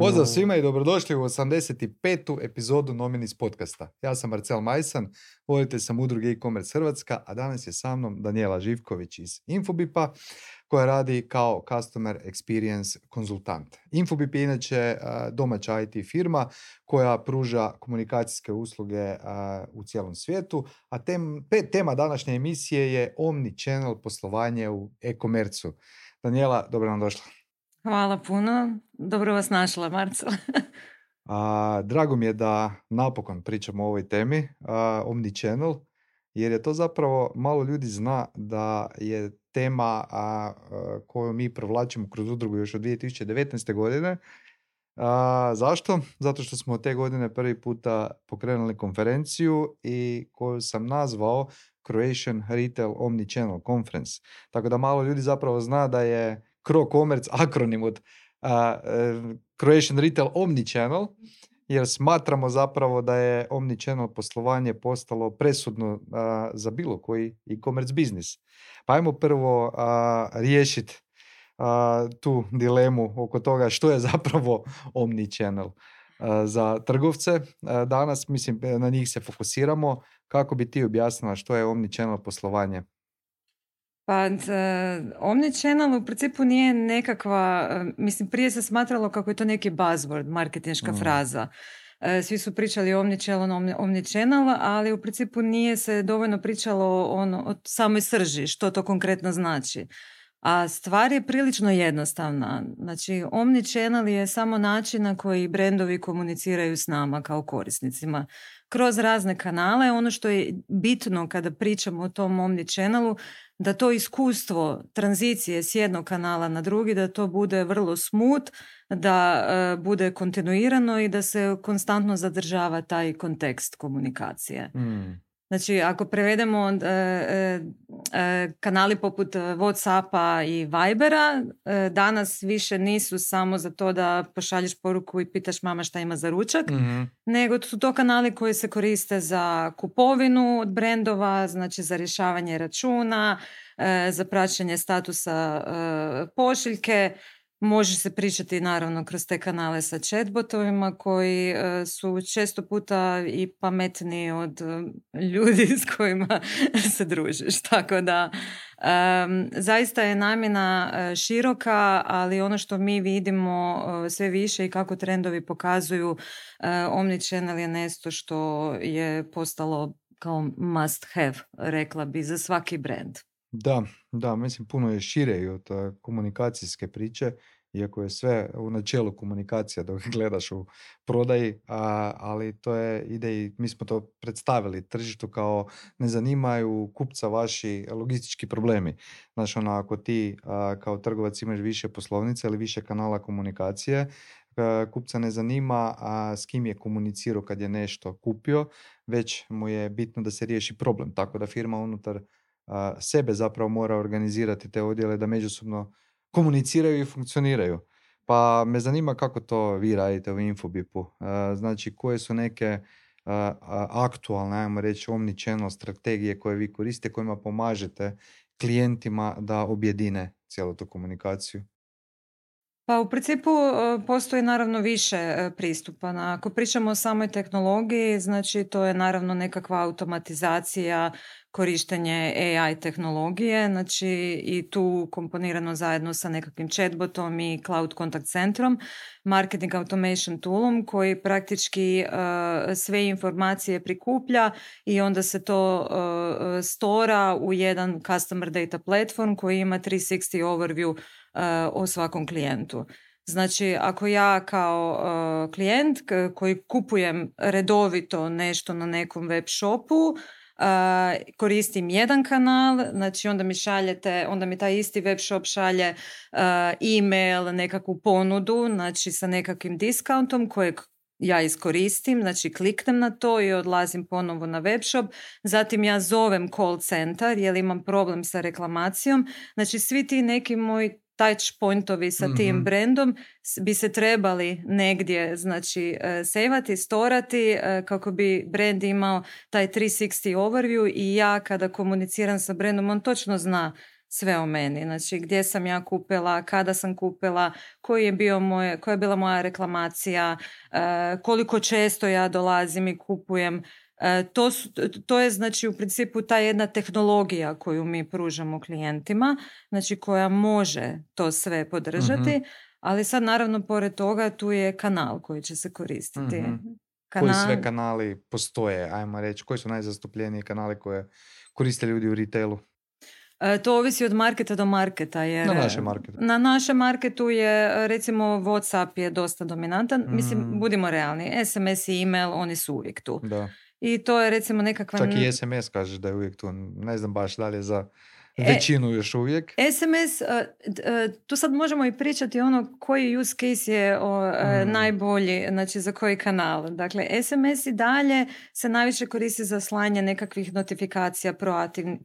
Pozdrav svima i dobrodošli u 85. epizodu Nominis podcasta. Ja sam Marcel Majsan, voditelj sam udruge e-commerce Hrvatska, a danas je sa mnom Daniela Živković iz Infobipa, koja radi kao Customer Experience konzultant. Infobip je inače domaća IT firma koja pruža komunikacijske usluge u cijelom svijetu, a tema današnje emisije je Omnichannel poslovanje u e-commercu. Daniela, dobro nam došla. Hvala puno. Dobro vas našla, Marcela. Drago mi je da napokon pričamo o ovoj temi, Omnichannel, jer je to zapravo, malo ljudi zna da je tema koju mi provlačimo kroz udrugu još od 2019. godine. Zašto? Zato što smo te godine prvi puta pokrenuli konferenciju i koju sam nazvao Croatian Retail Omnichannel Conference. Tako da malo ljudi zapravo zna da je CroCommerce akronim od Croatian Retail Omnichannel, jer smatramo zapravo da je Omnichannel poslovanje postalo presudno za bilo koji e-commerce biznis. Pa ajmo prvo riješiti tu dilemu oko toga što je zapravo Omnichannel za trgovce. Danas, mislim, na njih se fokusiramo. Kako bi ti objasnila što je Omnichannel poslovanje? Pa, Omnichannel u principu nije nekakva, mislim, prije se smatralo kako je to neki buzzword, marketinška fraza. Svi su pričali o Omnichannel, ali u principu nije se dovoljno pričalo o samoj srži, što to konkretno znači. A stvar je prilično jednostavna. Znači, Omnichannel je samo način na koji brendovi komuniciraju s nama kao korisnicima. Kroz razne kanale, ono što je bitno kada pričamo o tom Omnichannelu, da to iskustvo tranzicije s jednog kanala na drugi, da to bude vrlo smooth, da bude kontinuirano i da se konstantno zadržava taj kontekst komunikacije. Znači, ako prevedemo kanali poput Whatsappa i Vibera, danas više nisu samo za to da pošalješ poruku i pitaš mama šta ima za ručak, nego su to kanali koji se koriste za kupovinu od brendova, znači za rješavanje računa, za praćenje statusa pošiljke. Može se pričati naravno kroz te kanale sa chatbotovima koji su često puta i pametniji od ljudi s kojima se družiš. Tako da zaista je namjena široka, ali ono što mi vidimo sve više i kako trendovi pokazuju, Omnichannel je nešto što je postalo kao must have, rekla bi, za svaki brand. Da, mislim puno je šire i od komunikacijske priče, iako je sve u načelu komunikacija dok gledaš u prodaji, ali to ide i mi smo to predstavili tržištu kao ne zanimaju kupca vaši logistički problemi. Znači ako ti kao trgovac imaš više poslovnica ili više kanala komunikacije, kupca ne zanima s kim je komunicirao kad je nešto kupio, već mu je bitno da se riješi problem, tako da firma unutar sebe zapravo mora organizirati te odjele da međusobno komuniciraju i funkcioniraju. Pa me zanima kako to vi radite u Infobipu. Znači, koje su neke aktualne, ajmo reći, omnichannel strategije koje vi koristite, kojima pomažete klijentima da objedine cijelu tu komunikaciju? Pa u principu postoji naravno više pristupa. Ako pričamo o samoj tehnologiji, znači to je naravno nekakva automatizacija, korištenje AI tehnologije, znači i tu komponirano zajedno sa nekakvim chatbotom i cloud contact centrom, marketing automation toolom koji praktički sve informacije prikuplja i onda se to stora u jedan customer data platform koji ima 360 overview o svakom klijentu. Znači, ako ja kao klijent koji kupujem redovito nešto na nekom web shopu, koristim jedan kanal, znači onda mi taj isti web shop šalje email, nekakvu ponudu, znači sa nekakvim discountom kojeg ja iskoristim, znači kliknem na to i odlazim ponovo na web shop, zatim ja zovem call center jer imam problem sa reklamacijom, znači svi ti neki moji touch pointovi sa tim brandom bi se trebali negdje, znači, sejvati, storati kako bi brand imao taj 360 overview i ja kada komuniciram sa brandom, on točno zna sve o meni. Znači, gdje sam ja kupila, kada sam kupila, koja je bila moja reklamacija, koliko često ja dolazim i kupujem. To je znači u principu ta jedna tehnologija koju mi pružamo klijentima, znači koja može to sve podržati, ali sad naravno pored toga tu je kanal koji će se koristiti. Koji sve kanali postoje, ajmo reći, koji su najzastupljeniji kanali koje koriste ljudi u retailu? To ovisi od marketa do marketa. Jer na našem marketu. Na našem marketu je, recimo, WhatsApp je dosta dominantan. Mislim, budimo realni. SMS i email, oni su uvijek tu. Da. I to je, recimo, nekakva... Čak i SMS kažeš da je uvijek tu. Ne znam baš da li je za većinu još uvijek. SMS, tu sad možemo i pričati ono koji use case je najbolji, znači za koji kanal. Dakle, SMS i dalje se najviše koristi za slanje nekakvih notifikacija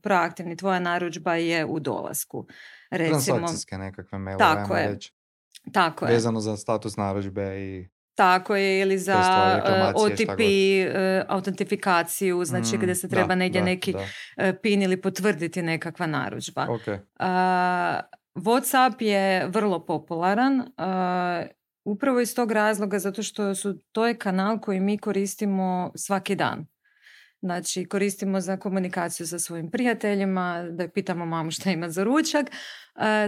proaktivni. Tvoja narudžba je u dolasku. Recimo, transakcijske nekakve mailove, tako je. reći. Tako je. Vezano za status narudžbe i... Tako je, ili za OTP autentifikaciju, znači gdje se treba negdje neki PIN ili potvrditi nekakva narudžba. Okay. WhatsApp je vrlo popularan, upravo iz tog razloga zato što to je kanal koji mi koristimo svaki dan. Znači, koristimo za komunikaciju sa svojim prijateljima, da pitamo mamu šta ima za ručak.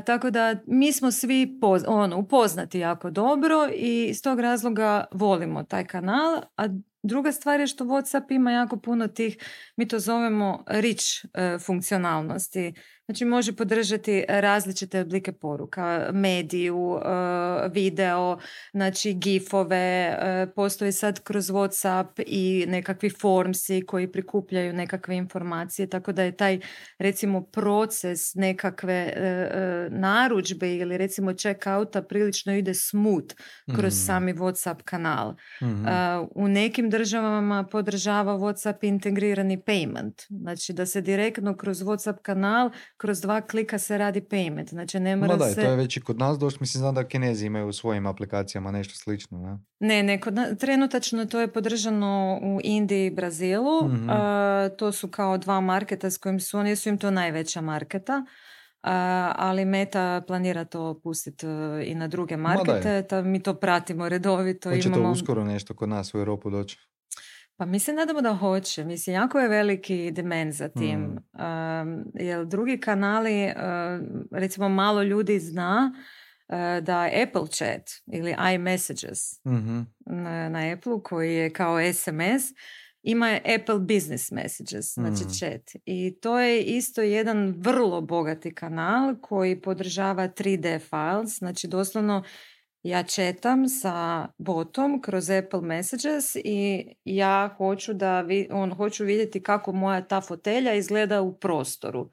Tako da mi smo svi upoznati jako dobro i iz tog razloga volimo taj kanal. A druga stvar je što WhatsApp ima jako puno tih, mi to zovemo rich funkcionalnosti. Znači, može podržati različite oblike poruka, mediju, video, znači gifove, postoji sad kroz WhatsApp i nekakvi formsi koji prikupljaju nekakve informacije, tako da je taj, recimo, proces nekakve narudžbe ili recimo check-outa prilično ide smooth kroz sami WhatsApp kanal. U nekim državama podržava WhatsApp integrirani payment, znači da se direktno kroz WhatsApp kanal kroz 2 klika se radi payment. Znači ne mora se... to je već i kod nas došlo. Mislim, znam da Kinezi imaju u svojim aplikacijama nešto slično. Ne, trenutačno to je podržano u Indiji i Brazilu. To su kao 2 marketa s kojim su, oni su im to najveća marketa. Ali Meta planira to pustiti i na druge markete. Mi to pratimo redovito. Hoće to uskoro nešto kod nas u Europu doći? Pa mislim, nadamo da hoće. Mislim, jako je veliki demand za tim. Jer drugi kanali, recimo malo ljudi zna da Apple Chat ili iMessages na Apple, koji je kao SMS, ima Apple Business Messages, znači chat. I to je isto jedan vrlo bogati kanal koji podržava 3D files, znači doslovno ja chatam sa botom kroz Apple Messages i ja hoću hoću vidjeti kako moja ta fotelja izgleda u prostoru.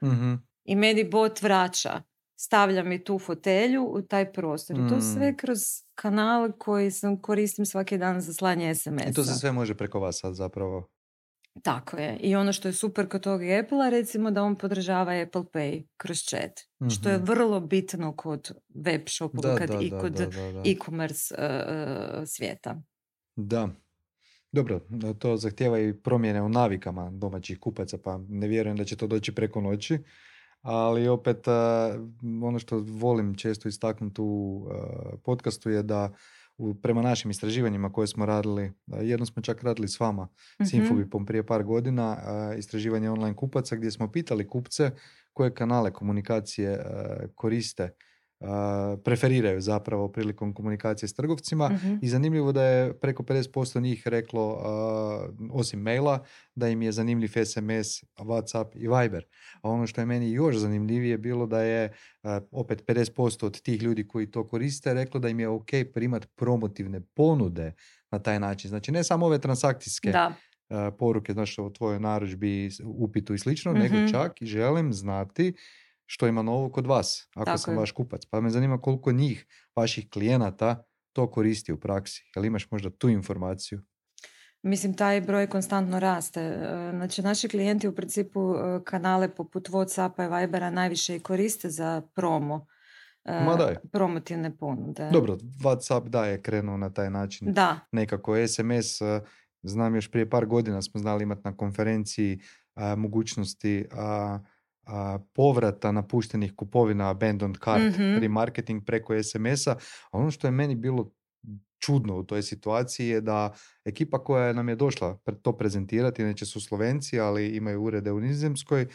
I meni bot vraća, stavlja mi tu fotelju u taj prostor. I to sve kroz kanal koji koristim svaki dan za slanje SMS-a. I to se sve može preko vas sad zapravo. Tako je. I ono što je super kod tog Apple-a, recimo da on podržava Apple Pay kroz chat. Što je vrlo bitno kod web shopova i kod e-commerce svijeta. Da. Dobro, to zahtijeva i promjene u navikama domaćih kupaca, pa ne vjerujem da će to doći preko noći. Ali opet ono što volim često istaknuti u podcastu je da prema našim istraživanjima koje smo radili, jedno smo čak radili s vama, s Infobipom prije par godina, istraživanje online kupaca gdje smo pitali kupce koje kanale komunikacije koriste, preferiraju zapravo prilikom komunikacije s trgovcima i zanimljivo da je preko 50% njih reklo, osim maila, da im je zanimljiv SMS, WhatsApp i Viber. A ono što je meni još zanimljivije bilo da je opet 50% od tih ljudi koji to koriste reklo da im je ok primati promotivne ponude na taj način. Znači ne samo ove transakcijske poruke, znači o tvojoj narudžbi, upitu i slično, nego čak i želim znati što ima novo kod vas, ako Tako sam je. vaš kupac. Pa me zanima koliko njih, vaših klijenata, to koristi u praksi. Jel imaš možda tu informaciju? Mislim, taj broj konstantno raste. Znači, naši klijenti u principu kanale poput WhatsAppa i Vibera najviše i koriste za promotivne ponude. Dobro, WhatsApp da je krenuo na taj način. Da. Nekako SMS, znam još prije par godina smo znali imati na konferenciji mogućnosti povrata napuštenih kupovina, abandoned cart, Mhm. remarketing preko SMS-a. A ono što je meni bilo čudno u toj situaciji je da ekipa koja nam je došla to prezentirati, inače su Slovenci, ali imaju urede u Nizozemskoj,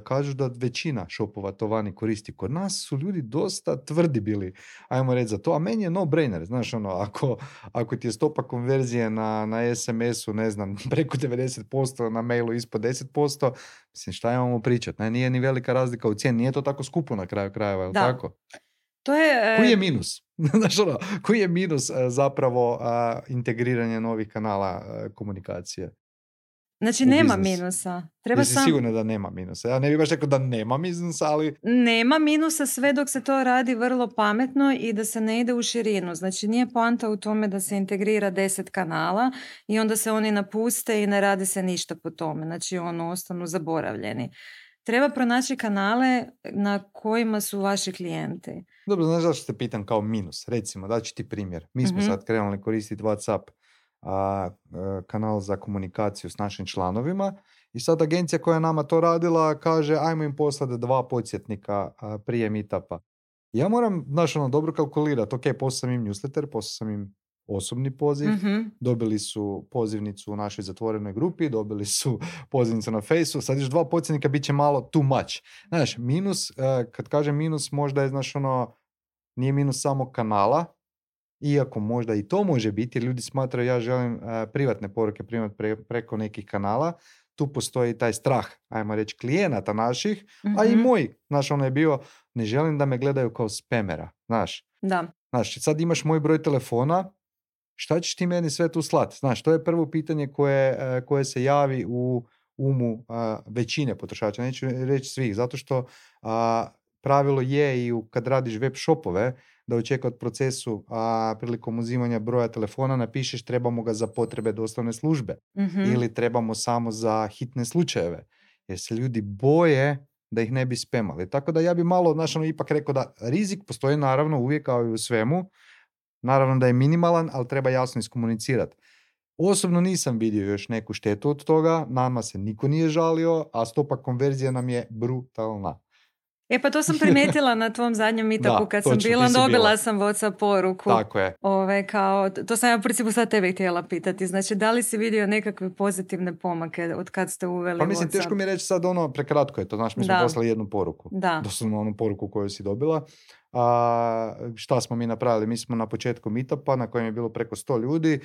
kažu da većina shopova to vani koristi. Kod nas su ljudi dosta tvrdi bili, ajmo reći za to, a meni je no-brainer, znaš ono, ako ti je stopa konverzije na SMS-u, ne znam, preko 90%, na mailu ispod 10%, mislim, šta imamo pričati, nije ni velika razlika u cijeni, nije to tako skupo na kraju krajeva, jel Da. tako? To je... Koji je minus? Znaš ono, koji je minus zapravo integriranje novih kanala komunikacije? Znači, U nema biznis. minusa. Treba Jesi sigurna da nema minusa? Ja ne bih baš rekao da nema minusa, ali... Nema minusa sve dok se to radi vrlo pametno i da se ne ide u širinu. Znači, nije poanta u tome da se integrira 10 kanala i onda se oni napuste i ne radi se ništa po tome. Znači, ostanu zaboravljeni. Treba pronaći kanale na kojima su vaši klijenti. Dobro, znaš zašto te pitam kao minus? Recimo, daću ti primjer. Mi smo sad krenuli koristiti WhatsApp kanal za komunikaciju s našim članovima i sad agencija koja je nama to radila kaže ajmo im poslati 2 podsjetnika prije meetupa. Ja moram, znaš, dobro kalkulirati. Ok, poslao sam im newsletter, poslao sam im osobni poziv, dobili su pozivnicu u našoj zatvorenoj grupi, dobili su pozivnicu na Faceu, sad još 2 podsjetnika bit će malo too much. Znaš, minus, kad kažem minus, možda je, znaš, nije minus samo kanala, iako možda i to može biti, jer ljudi smatraju ja želim privatne poruke primati preko nekih kanala, tu postoji taj strah, ajmo reći, klijenata naših, a i moj, znaš, je bio, ne želim da me gledaju kao spamera, znaš. Da. Znaš, sad imaš moj broj telefona, šta ćeš ti meni sve tu slati? Znaš, to je prvo pitanje koje se javi u umu većine potrošača, neću reći svih, zato što pravilo je i kad radiš web shopove, da u checkout procesu prilikom uzimanja broja telefona napišeš trebamo ga za potrebe dostavne službe ili trebamo samo za hitne slučajeve, jer se ljudi boje da ih ne bi spamali. Tako da ja bi malo, znaš, ipak rekao da rizik postoji naravno uvijek kao i u svemu, naravno da je minimalan, ali treba jasno iskomunicirati. Osobno nisam vidio još neku štetu od toga, nama se niko nije žalio, a stopa konverzije nam je brutalna. Pa to sam primijetila na tvom zadnjem meetupu kad sam bila, dobila sam WhatsApp poruku. Tako je. To sam ja u principu sad tebe htjela pitati. Znači, da li si vidio nekakve pozitivne pomake od kad ste uveli WhatsApp? Pa mislim, teško mi reći sad prekratko je to. Znaš, mi smo poslali jednu poruku. Doslovno onu poruku koju si dobila. Šta smo mi napravili? Mi smo na početku meetupa, na kojem je bilo preko 100 ljudi,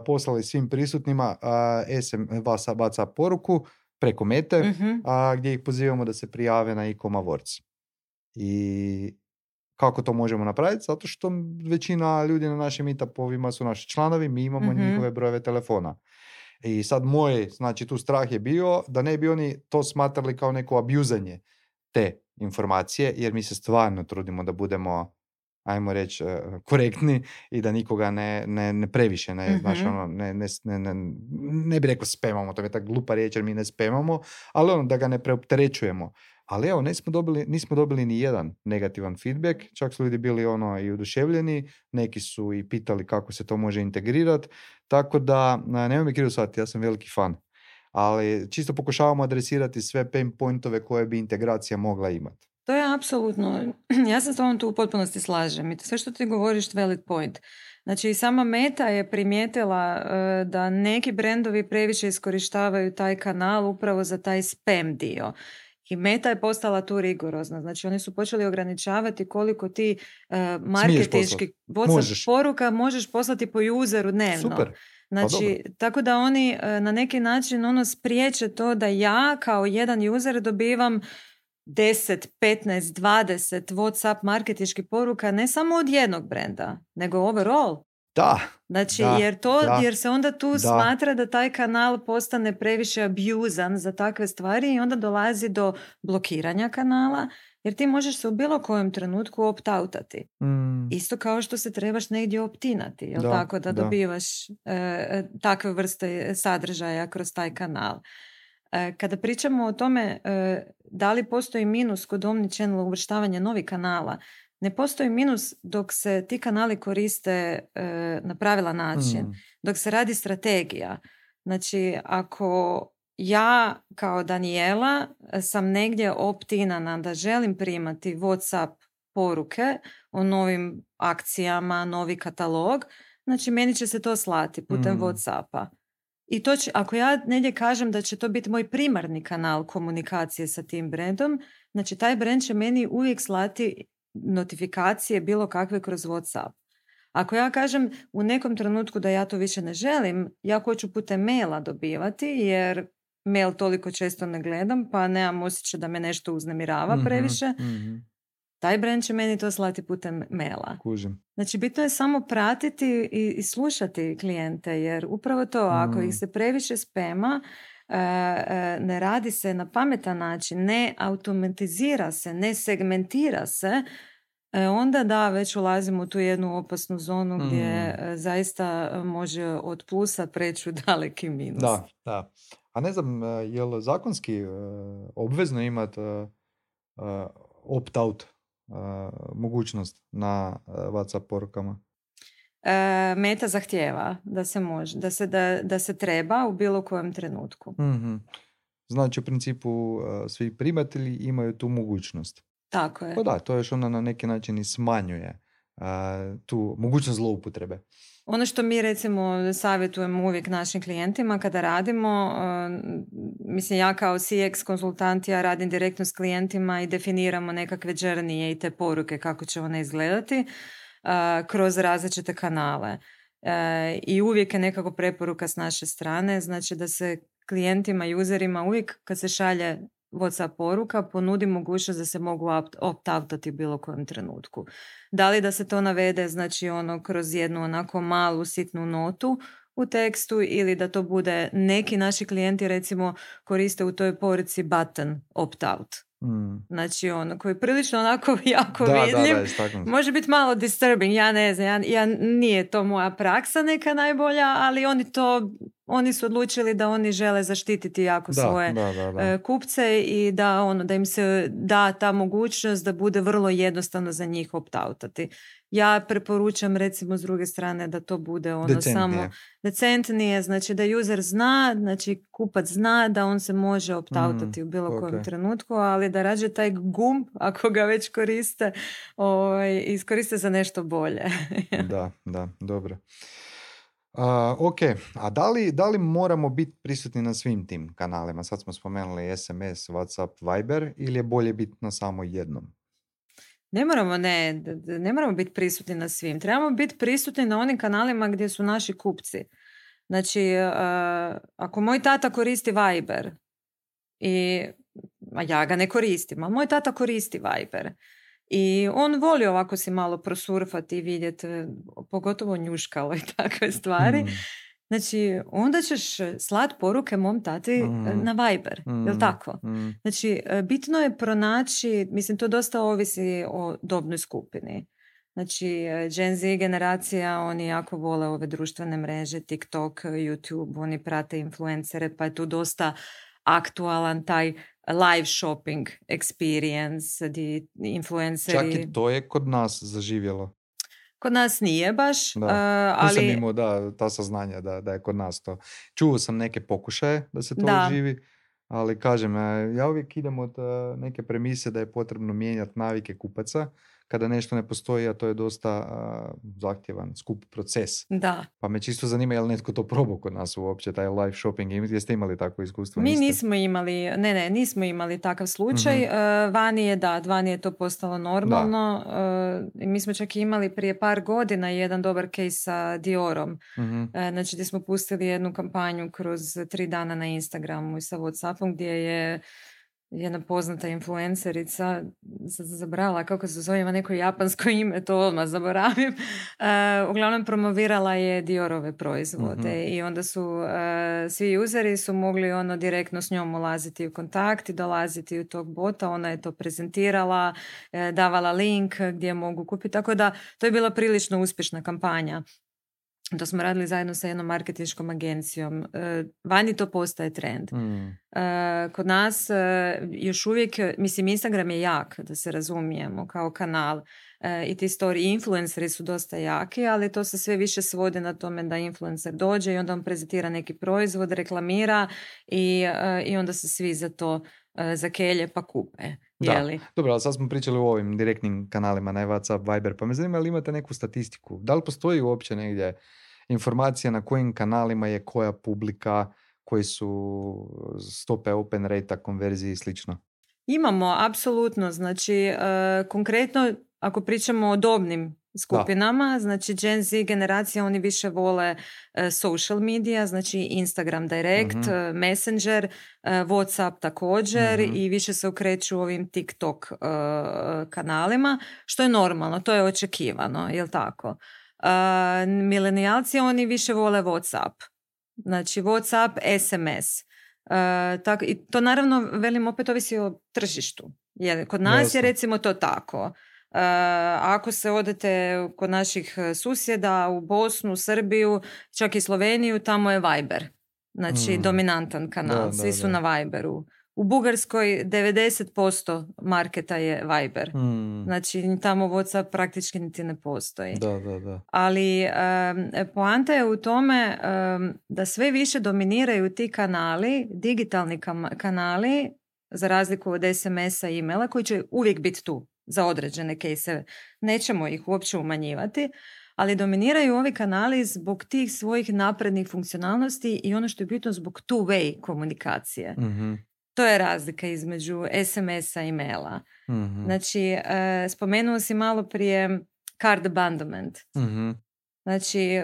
poslali svim prisutnima WhatsApp poruku preko Mete, gdje ih pozivamo da se prijave na e-com awards. I kako to možemo napraviti? Zato što većina ljudi na našim meetupovima su naši članovi, mi imamo njihove brojeve telefona. I sad znači tu strah je bio da ne bi oni to smatrali kao neko abuzanje te informacije, jer mi se stvarno trudimo da budemo, ajmo reći, korektni i da nikoga ne previše, ne bi rekao spamamo, to je tako glupa riječ jer mi ne spamamo, ali da ga ne preopterećujemo. Ali evo, nismo dobili ni jedan negativan feedback, čak su ljudi bili i oduševljeni, neki su i pitali kako se to može integrirati, tako da, nemoj mi krivo shvatiti, ja sam veliki fan. Ali čisto pokušavamo adresirati sve pain pointove koje bi integracija mogla imati. To je apsolutno, ja se s tobom tu u potpunosti slažem i sve što ti govoriš valid point. Znači, sama Meta je primijetila da neki brendovi previše iskorištavaju taj kanal upravo za taj spam dio. I Meta je postala tu rigorozna. Znači, oni su počeli ograničavati koliko ti marketinški WhatsApp poruka možeš poslati po useru dnevno. Super. Znači, tako da oni na neki način spriječe to da ja kao jedan user dobivam 10, 15, 20 WhatsApp marketinških poruka ne samo od jednog brenda, nego overall. Da. Znači, jer se onda tu smatra da taj kanal postane previše abuzan za takve stvari i onda dolazi do blokiranja kanala, jer ti možeš se u bilo kojem trenutku opt-outati. Isto kao što se trebaš negdje optinati, jel tako, da dobivaš takve vrste sadržaja kroz taj kanal. Kada pričamo o tome da li postoji minus kod omnichannel uvrštavanja novih kanala, ne postoji minus dok se ti kanali koriste na pravilan način, dok se radi strategija. Znači, ako ja kao Daniela sam negdje optinana da želim primati WhatsApp poruke o novim akcijama, novi katalog, znači meni će se to slati putem WhatsAppa. I to će, ako ja negdje kažem da će to biti moj primarni kanal komunikacije sa tim brandom, znači taj brand će meni uvijek slati notifikacije bilo kakve kroz WhatsApp. Ako ja kažem u nekom trenutku da ja to više ne želim, ja hoću putem maila dobivati, jer mail toliko često ne gledam, pa nemam osjećaj da me nešto uznemirava previše, taj brand će meni to slati putem maila. Kužim. Znači, bitno je samo pratiti i slušati klijente, jer upravo to, ako ih se previše spema, ne radi se na pametan način, ne automatizira se, ne segmentira se, onda da, već ulazimo u tu jednu opasnu zonu gdje zaista može od plusa preći u daleki minus. Da. A ne znam, je li zakonski obvezno imati opt-out mogućnost na WhatsApp porukama? Meta zahtijeva da se može, da se treba u bilo kojem trenutku. Znači, u principu svi primatelji imaju tu mogućnost. Tako je. Pa da, to još onda na neki način i smanjuje tu mogućnost zloupotrebe. Ono što mi recimo savjetujemo uvijek našim klijentima kada radimo, mislim ja kao CX konsultant, ja radim direktno s klijentima i definiramo nekakve journey i te poruke kako će one izgledati kroz različite kanale. I uvijek je nekako preporuka s naše strane, znači da se klijentima, userima uvijek kad se šalje WhatsApp poruka ponudi mogućnost da se mogu opt-outati u bilo kojem trenutku. Da li da se to navede, znači kroz jednu onako malu sitnu notu u tekstu, ili da to bude, neki naši klijenti recimo koriste u toj poruci button opt-out. Znači koji je prilično onako jako vidljiv, može biti malo disturbing, ja ne znam, nije to moja praksa neka najbolja, ali oni su odlučili da oni žele zaštititi jako svoje kupce i da im se da ta mogućnost da bude vrlo jednostavno za njih opt-outati. Ja preporučam recimo s druge strane da to bude samo decentnije, znači da user zna, znači kupac zna da on se može opt-outati u bilo kojem trenutku, ali da rađe taj gumb, ako ga već koriste, iskoriste za nešto bolje. Da, dobro. Ok, a da li moramo biti prisutni na svim tim kanalima? Sad smo spomenuli SMS, WhatsApp, Viber, ili je bolje biti na samo jednom? Ne moramo biti prisutni na svim. Trebamo biti prisutni na onim kanalima gdje su naši kupci. Znači, ako moj tata koristi Viber, a ja ga ne koristim, a moj tata koristi Viber, i on voli ovako si malo prosurfati i vidjeti, pogotovo njuškalo i takve stvari. Znači, onda ćeš slat poruke mom tati na Viber, jel tako? Znači, bitno je pronaći, mislim, to dosta ovisi o dobnoj skupini. Znači, Gen Z generacija, oni jako vole ove društvene mreže, TikTok, YouTube, oni prate influencere, pa je tu dosta aktualan taj live shopping experience, gdje influenceri... Čak i to je kod nas zaživjelo. Kod nas nije baš, ali... Nisam imao ta saznanja da je kod nas to. Čuo sam neke pokušaje da se to živi, ali kažem, ja uvijek idem od neke premise da je potrebno mijenjati navike kupaca kada nešto ne postoji, a to je dosta zahtjevan, skup proces. Da. Pa me čisto zanima je li netko to probao kod nas uopće, taj live shopping. Jeste imali takvo iskustvo? Mi nismo imali takav slučaj. Vani je to postalo normalno. Mi smo čak imali prije par godina jedan dobar case sa Diorom. Znači, gdje smo pustili jednu kampanju kroz 3 dana na Instagramu i sa WhatsAppom, gdje je jedna poznata influencerica, zaboravila kako se zove, ima neko japansko ime, to odmah zaboravim, uglavnom promovirala je Diorove proizvode i onda su svi useri su mogli direktno s njom ulaziti u kontakt i dolaziti u tog bota, ona je to prezentirala, davala link gdje mogu kupiti, tako da to je bila prilično uspješna kampanja. To smo radili zajedno sa jednom marketinškom agencijom. Vani to postaje trend. Kod nas još uvijek, mislim, Instagram je jak, da se razumijemo, kao kanal. I ti story influenceri su dosta jaki, ali to se sve više svodi na tome da influencer dođe i onda on prezentira neki proizvod, reklamira i onda se svi za to zakelje pa kupe. Da, dobro, ali sad smo pričali o ovim direktnim kanalima, ne WhatsApp, Viber, pa me zanima li imate neku statistiku? Da li postoji uopće negdje informacija na kojim kanalima je koja publika, koji su stope open rate, konverzije i slično? Imamo, apsolutno. Znači, konkretno, ako pričamo o dobnim skupinama, znači Gen Z generacija, oni više vole social media, znači Instagram direct, Messenger, WhatsApp također i više se okreću ovim TikTok kanalima, što je normalno, to je očekivano, jel tako? Milenijalci, oni više vole WhatsApp. Znači WhatsApp, SMS. Tako, i to naravno, velim, opet ovisi o tržištu. Kod nas je recimo to tako. Ako se odete kod naših susjeda u Bosnu, Srbiju, čak i Sloveniju, tamo je Viber. Znači dominantan kanal. Svi su na Viberu. U Bugarskoj 90% marketa je Viber. Znači tamo WhatsApp praktički niti ne postoji. Ali poanta je u tome da sve više dominiraju ti kanali, digitalni kanali, za razliku od SMS-a i e-maila, koji će uvijek biti tu za određene kejseve. Nećemo ih uopće umanjivati, ali dominiraju ovi kanali zbog tih svojih naprednih funkcionalnosti i ono što je bitno zbog two-way komunikacije. To je razlika između SMS-a i maila. Znači, spomenuo si malo prije cart abandonment. Znači,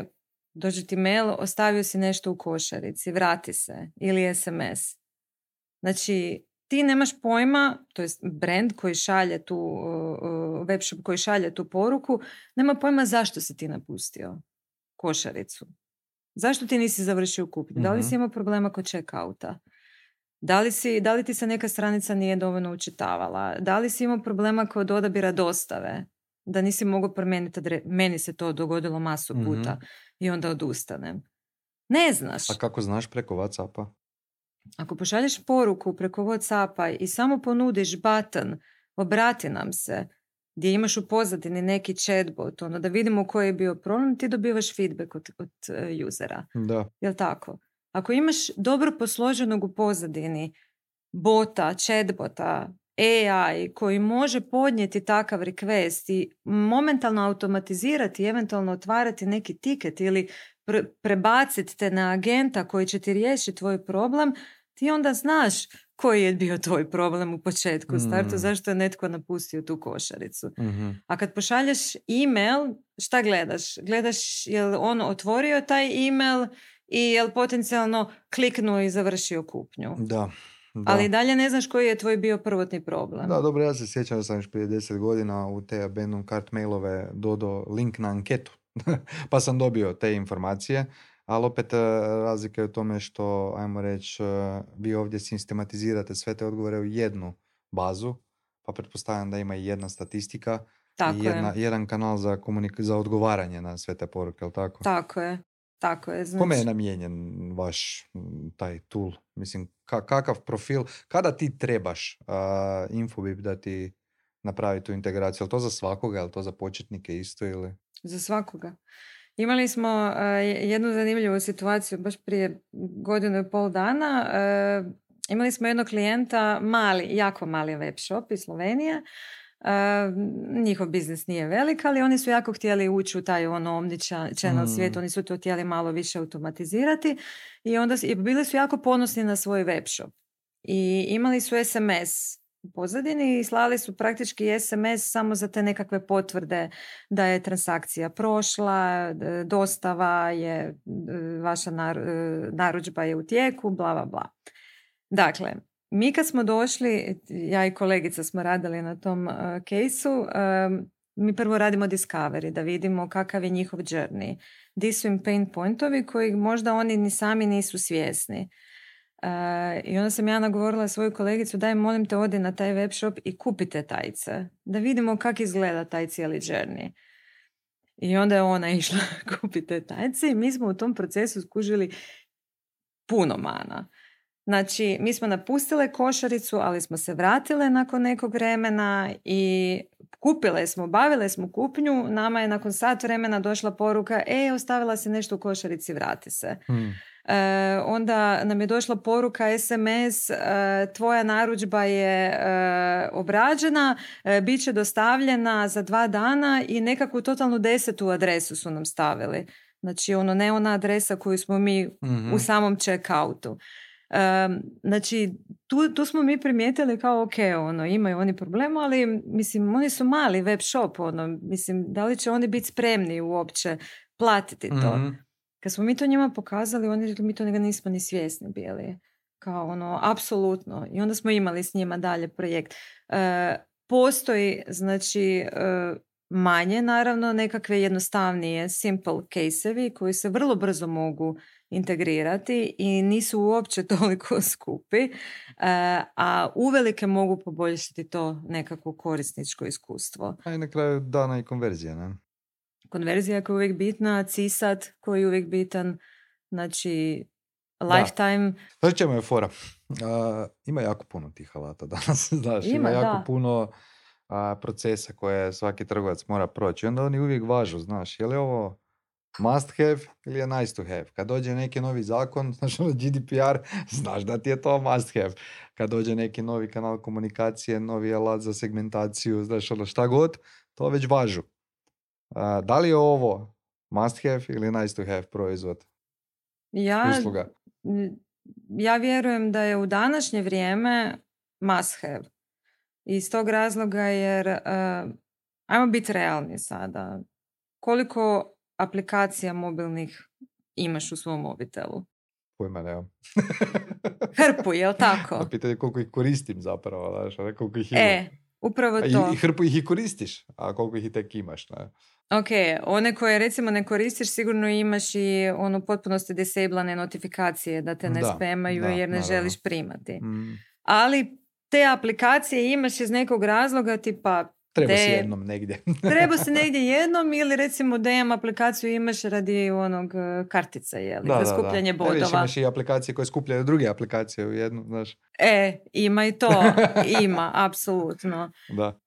dođe ti mail, ostavio si nešto u košarici, vrati se, ili SMS. Znači, ti nemaš pojma, to je brand koji šalje tu, webshop koji šalje tu poruku, nema pojma zašto si ti napustio košaricu. Zašto ti nisi završio kupnju? Da li si imao problema kod check-outa? Da li ti se neka stranica nije dovoljno učitavala? Da li si imao problema kod odabira dostave? Da nisi mogao promijeniti meni se to dogodilo masu puta i onda odustanem. Ne znaš. A kako znaš preko WhatsAppa? Ako pošalješ poruku preko WhatsAppa i samo ponudiš button obrati nam se, gdje imaš u pozadini neki chatbot, da vidimo koji je bio problem, ti dobivaš feedback od usera. Da. Jel' tako? Ako imaš dobro posloženog u pozadini bota, chatbota, AI koji može podnijeti takav request i momentalno automatizirati, eventualno otvarati neki tiket ili prebaciti te na agenta koji će ti riješiti tvoj problem, ti onda znaš koji je bio tvoj problem u početku, u startu, zašto je netko napustio tu košaricu. A kad pošalješ email, šta gledaš? Gledaš je li on otvorio taj email i je li potencijalno kliknuo i završio kupnju. Da. Ali dalje ne znaš koji je tvoj bio prvotni problem. Da, dobro, ja se sjećam da sam još prije 10 godina u te abandoned cart mailove dodao link na anketu. Pa sam dobio te informacije, ali opet razlika je u tome što, ajmo reći, vi ovdje sistematizirate sve te odgovore u jednu bazu, pa pretpostavljam da ima i jedna statistika i jedan kanal za odgovaranje na sve te poruke, ali tako? Tako je. Znači... Kome je namijenjen vaš taj tool? Mislim, kakav profil? Kada ti trebaš Infobip da ti napravi tu integraciju? Je li to za svakoga? Je li to za početnike isto? Ili? Za svakoga. Imali smo jednu zanimljivu situaciju baš prije 1.5 dana. Imali smo jednog klijenta, jako mali web shop iz Slovenije. Njihov biznis nije velik, ali oni su jako htjeli ući u taj omnichannel svijet, oni su to htjeli malo više automatizirati i bili su jako ponosni na svoj web shop. I imali su SMS u pozadini i slali su praktički SMS samo za te nekakve potvrde da je transakcija prošla, dostava je, vaša narudžba je u tijeku, bla, bla, bla. Dakle, mi kad smo došli, ja i kolegica smo radili na tom kejsu, mi prvo radimo discovery, da vidimo kakav je njihov journey. Di su im pain pointovi koji možda oni ni sami nisu svjesni. I onda sam ja nagovorila svoju kolegicu, daj molim te odi na taj web shop i kupite tajce, da vidimo kako izgleda taj cijeli journey. I onda je ona išla kupiti te tajice i mi smo u tom procesu skužili puno mana. Znači, mi smo napustile košaricu, ali smo se vratile nakon nekog vremena i kupile smo, bavile smo kupnju. Nama je nakon sat vremena došla poruka, ostavila si nešto u košarici, vrati se. Onda nam je došla poruka, SMS, tvoja narudžba je obrađena, bit će dostavljena za 2 dana i nekakvu totalnu 10. adresu su nam stavili. Znači, ne ona adresa koju smo mi u samom check-outu. Znači, tu smo mi primijetili kao ok, imaju oni problema, ali mislim, oni su mali web shop, mislim, da li će oni biti spremni uopće platiti to? Kad smo mi to njima pokazali, oni rekli, mi to nismo ni svjesni bili. Kao apsolutno. I onda smo imali s njima dalje projekt. Postoji, znači, manje, naravno, nekakve jednostavnije simple case-evi koji se vrlo brzo mogu integrirati i nisu uopće toliko skupi, a uvelike mogu poboljšati to nekako korisničko iskustvo. A i na kraju dana i konverzija, ne? Konverzija koja je uvijek bitna, CSAT koji je uvijek bitan, znači lifetime. Znači čemu je fora? Ima jako puno tih alata danas, znaš, ima jako puno procesa koje svaki trgovac mora proći. Onda oni uvijek važu, znaš, je li ovo must have ili je nice to have? Kad dođe neki novi zakon, znaš, GDPR, znaš da ti je to must have. Kad dođe neki novi kanal komunikacije, novi alat za segmentaciju, znaš, šta god, to već važu. Da li je ovo must have ili nice to have proizvod? Usluga? Ja vjerujem da je u današnje vrijeme must have. Iz tog razloga jer, ajmo biti realni sada, koliko aplikacija mobilnih imaš u svom mobitelu? Pojma nemam. Hrpu, jel tako? A pitanje koliko ih koristim zapravo, znaš, a ne koliko ih ima. Upravo to. I hrpu ih i koristiš, a koliko ih i tek imaš, ne? Ok, one koje recimo ne koristiš, sigurno imaš i potpunosti disablane notifikacije da te ne spamaju jer ne želiš primati. Ali te aplikacije imaš iz nekog razloga tipa treba si jednom negdje. Treba si negdje jednom ili recimo DM aplikaciju imaš radi kartica, za skupljanje bodova. Viš, imaš i aplikacije koje skupljaju druge aplikacije u jednu, znaš. Ima i to. Ima, apsolutno. Da.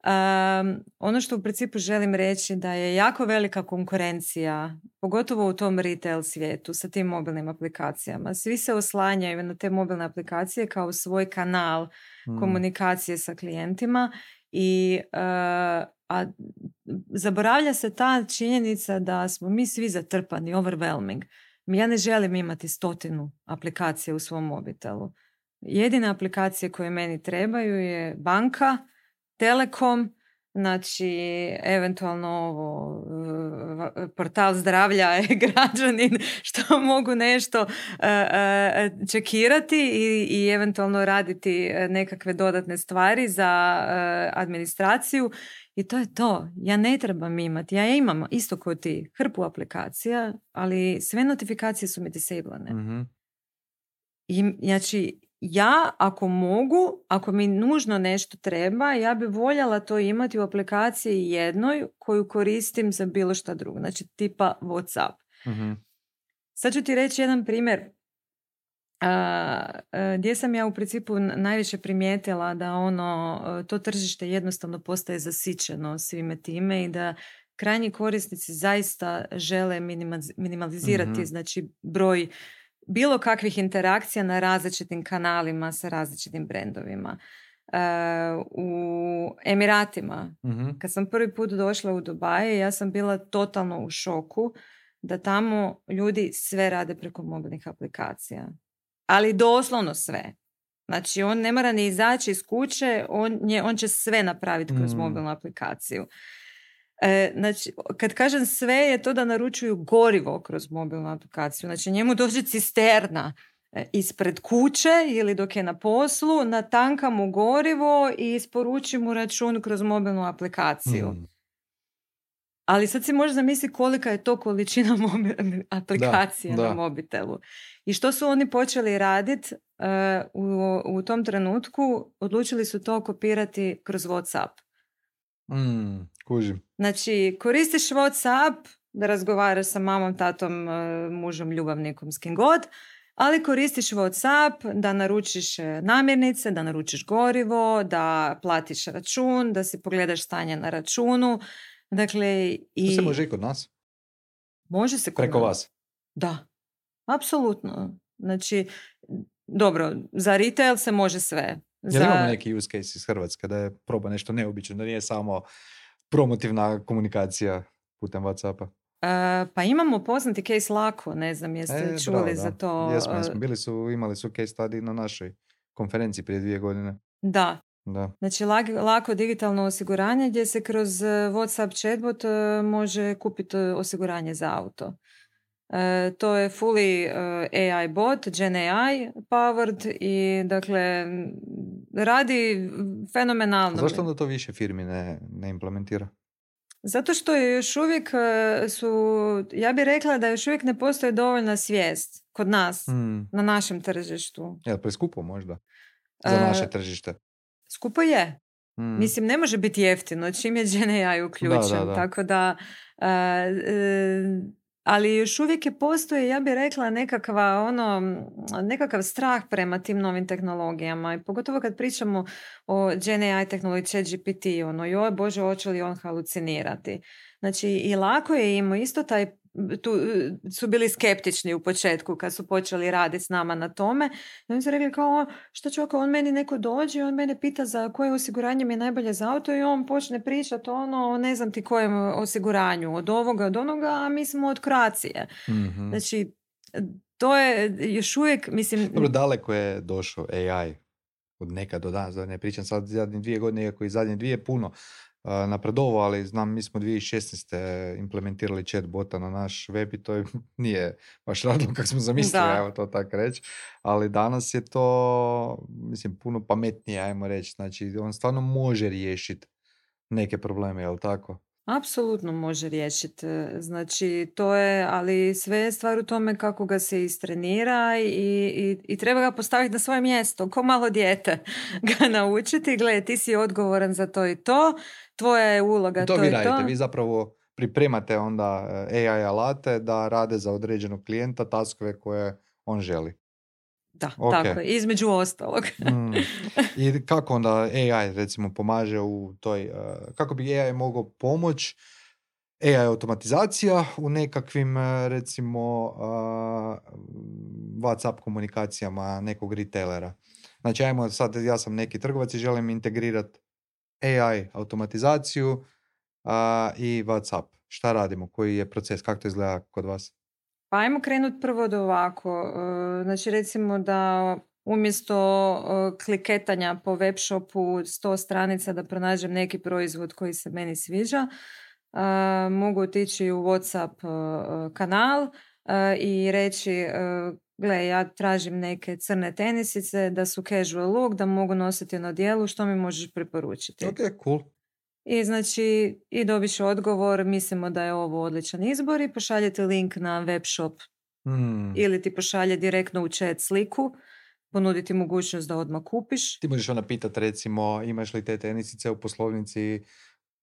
Ono što u principu želim reći da je jako velika konkurencija, pogotovo u tom retail svijetu sa tim mobilnim aplikacijama. Svi se oslanjaju na te mobilne aplikacije kao svoj kanal komunikacije sa klijentima. A zaboravlja se ta činjenica da smo mi svi zatrpani, overwhelming. Ja ne želim imati 100 aplikacija u svom mobitelu. Jedine aplikacije koje meni trebaju je banka, telekom, znači eventualno portal zdravlja građanin što mogu nešto čekirati i eventualno raditi nekakve dodatne stvari za administraciju i to je to. Ja ne trebam imati, ja imam isto kao ti hrpu aplikacija, ali sve notifikacije su mi disablane. I znači ja ako mogu, ako mi nužno nešto treba, ja bi voljela to imati u aplikaciji jednoj koju koristim za bilo šta drugo. Znači tipa WhatsApp. Sad ću ti reći jedan primjer gdje sam ja u principu najviše primijetila da to tržište jednostavno postaje zasićeno svime time i da krajnji korisnici zaista žele minimalizirati znači broj bilo kakvih interakcija na različitim kanalima sa različitim brendovima. U Emiratima, kad sam prvi put došla u Dubaje, ja sam bila totalno u šoku da tamo ljudi sve rade preko mobilnih aplikacija. Ali doslovno sve. Znači, on ne mora ni izaći iz kuće, on će sve napraviti kroz mobilnu aplikaciju. Znači, kad kažem sve je to da naručuju gorivo kroz mobilnu aplikaciju. Znači, njemu dođe cisterna ispred kuće ili dok je na poslu, natanka mu gorivo i isporuči mu račun kroz mobilnu aplikaciju. Ali sad si možeš zamisliti kolika je to količina aplikacija na mobitelu. I što su oni počeli raditi u tom trenutku? Odlučili su to kopirati kroz WhatsApp. Kužim. Znači, koristiš WhatsApp, da razgovaraš sa mamom, tatom, mužem, ljubavnikom, s kim god, ali koristiš WhatsApp da naručiš namirnice, da naručiš gorivo, da platiš račun, da si pogledaš stanje na računu. Dakle, To se i može i kod nas, može se kod preko nas. vas. Da, apsolutno. Znači, dobro, za retail se može sve. Jel imamo neki use case iz Hrvatske da je proba nešto neobično, da nije samo promotivna komunikacija putem WhatsAppa? Pa imamo poznati case Lako, ne znam jeste čuli Bravo, za da. to. Jesmo. Imali su case study na našoj konferenciji prije 2 godine. Da. Da. Znači, lako digitalno osiguranje gdje se kroz WhatsApp chatbot može kupiti osiguranje za auto. To je fully AI bot, Gen AI powered i dakle radi fenomenalno. Zašto onda to više firmi ne implementira? Zato što je još uvijek ja bih rekla da još uvijek ne postoji dovoljna svijest kod nas, na našem tržištu. Jel preskupo možda za naše tržište? Skupo je. Mislim, ne može biti jeftino čim je Gen AI uključen. Da. Tako da, ali još uvijek je postoji, ja bih rekla, nekakav strah prema tim novim tehnologijama. I pogotovo kad pričamo o Gen AI tehnologiji, ChatGPT, joj Bože, hoće li on halucinirati. Znači, i lako je imao isto tu su bili skeptični u početku kad su počeli raditi s nama na tome. I oni su rekli kao, što će on meni neko dođe i on mene pita za koje osiguranje mi je najbolje za auto i on počne pričati ne znam ti kojem osiguranju, od ovoga, od onoga, a mi smo od Croatie. Mm-hmm. Znači, to je još uvijek, mislim... Dobro, daleko je došao AI od nekad do danas, da ne pričam sad zadnje 2 godine, iako i zadnje 2 puno napredovao, ali znam, mi smo 2016. implementirali chatbota na naš web i to nije baš radilo kako smo zamislili, ajmo to tako reći, ali danas je to, mislim, puno pametnije, ajmo reći, znači on stvarno može riješiti neke probleme, jel tako? Apsolutno može riješiti. Znači, to je, ali sve je stvar u tome kako ga se istrenira i treba ga postaviti na svoje mjesto, ko malo dijete ga naučiti. Gle, ti si odgovoran za to i to, tvoja je uloga to vi i radite. to. Vi zapravo pripremate onda AI alate da rade za određenog klijenta taskove koje on želi. Da, tako je, između ostalog. I kako onda AI recimo pomaže u toj, kako bi AI mogao pomoći, AI automatizacija u nekakvim recimo WhatsApp komunikacijama nekog retailera. Znači ajmo sad, ja sam neki trgovac i želim integrirati AI automatizaciju i WhatsApp. Šta radimo? Koji je proces? Kako to izgleda kod vas? Pa ajmo krenuti prvo od ovako. Znači recimo da umjesto kliketanja po web shopu 100 stranica da pronađem neki proizvod koji se meni sviđa, mogu otići u WhatsApp kanal i reći gle, ja tražim neke crne tenisice da su casual look, da mogu nositi na odijelu, što mi možeš preporučiti? Ok, cool. I znači, i dobiš odgovor, mislimo da je ovo odličan izbor i pošaljete link na web shop ili ti pošalje direktno u chat sliku, ponuditi mogućnost da odmah kupiš. Ti možeš onda pitati recimo imaš li te tenisice u poslovnici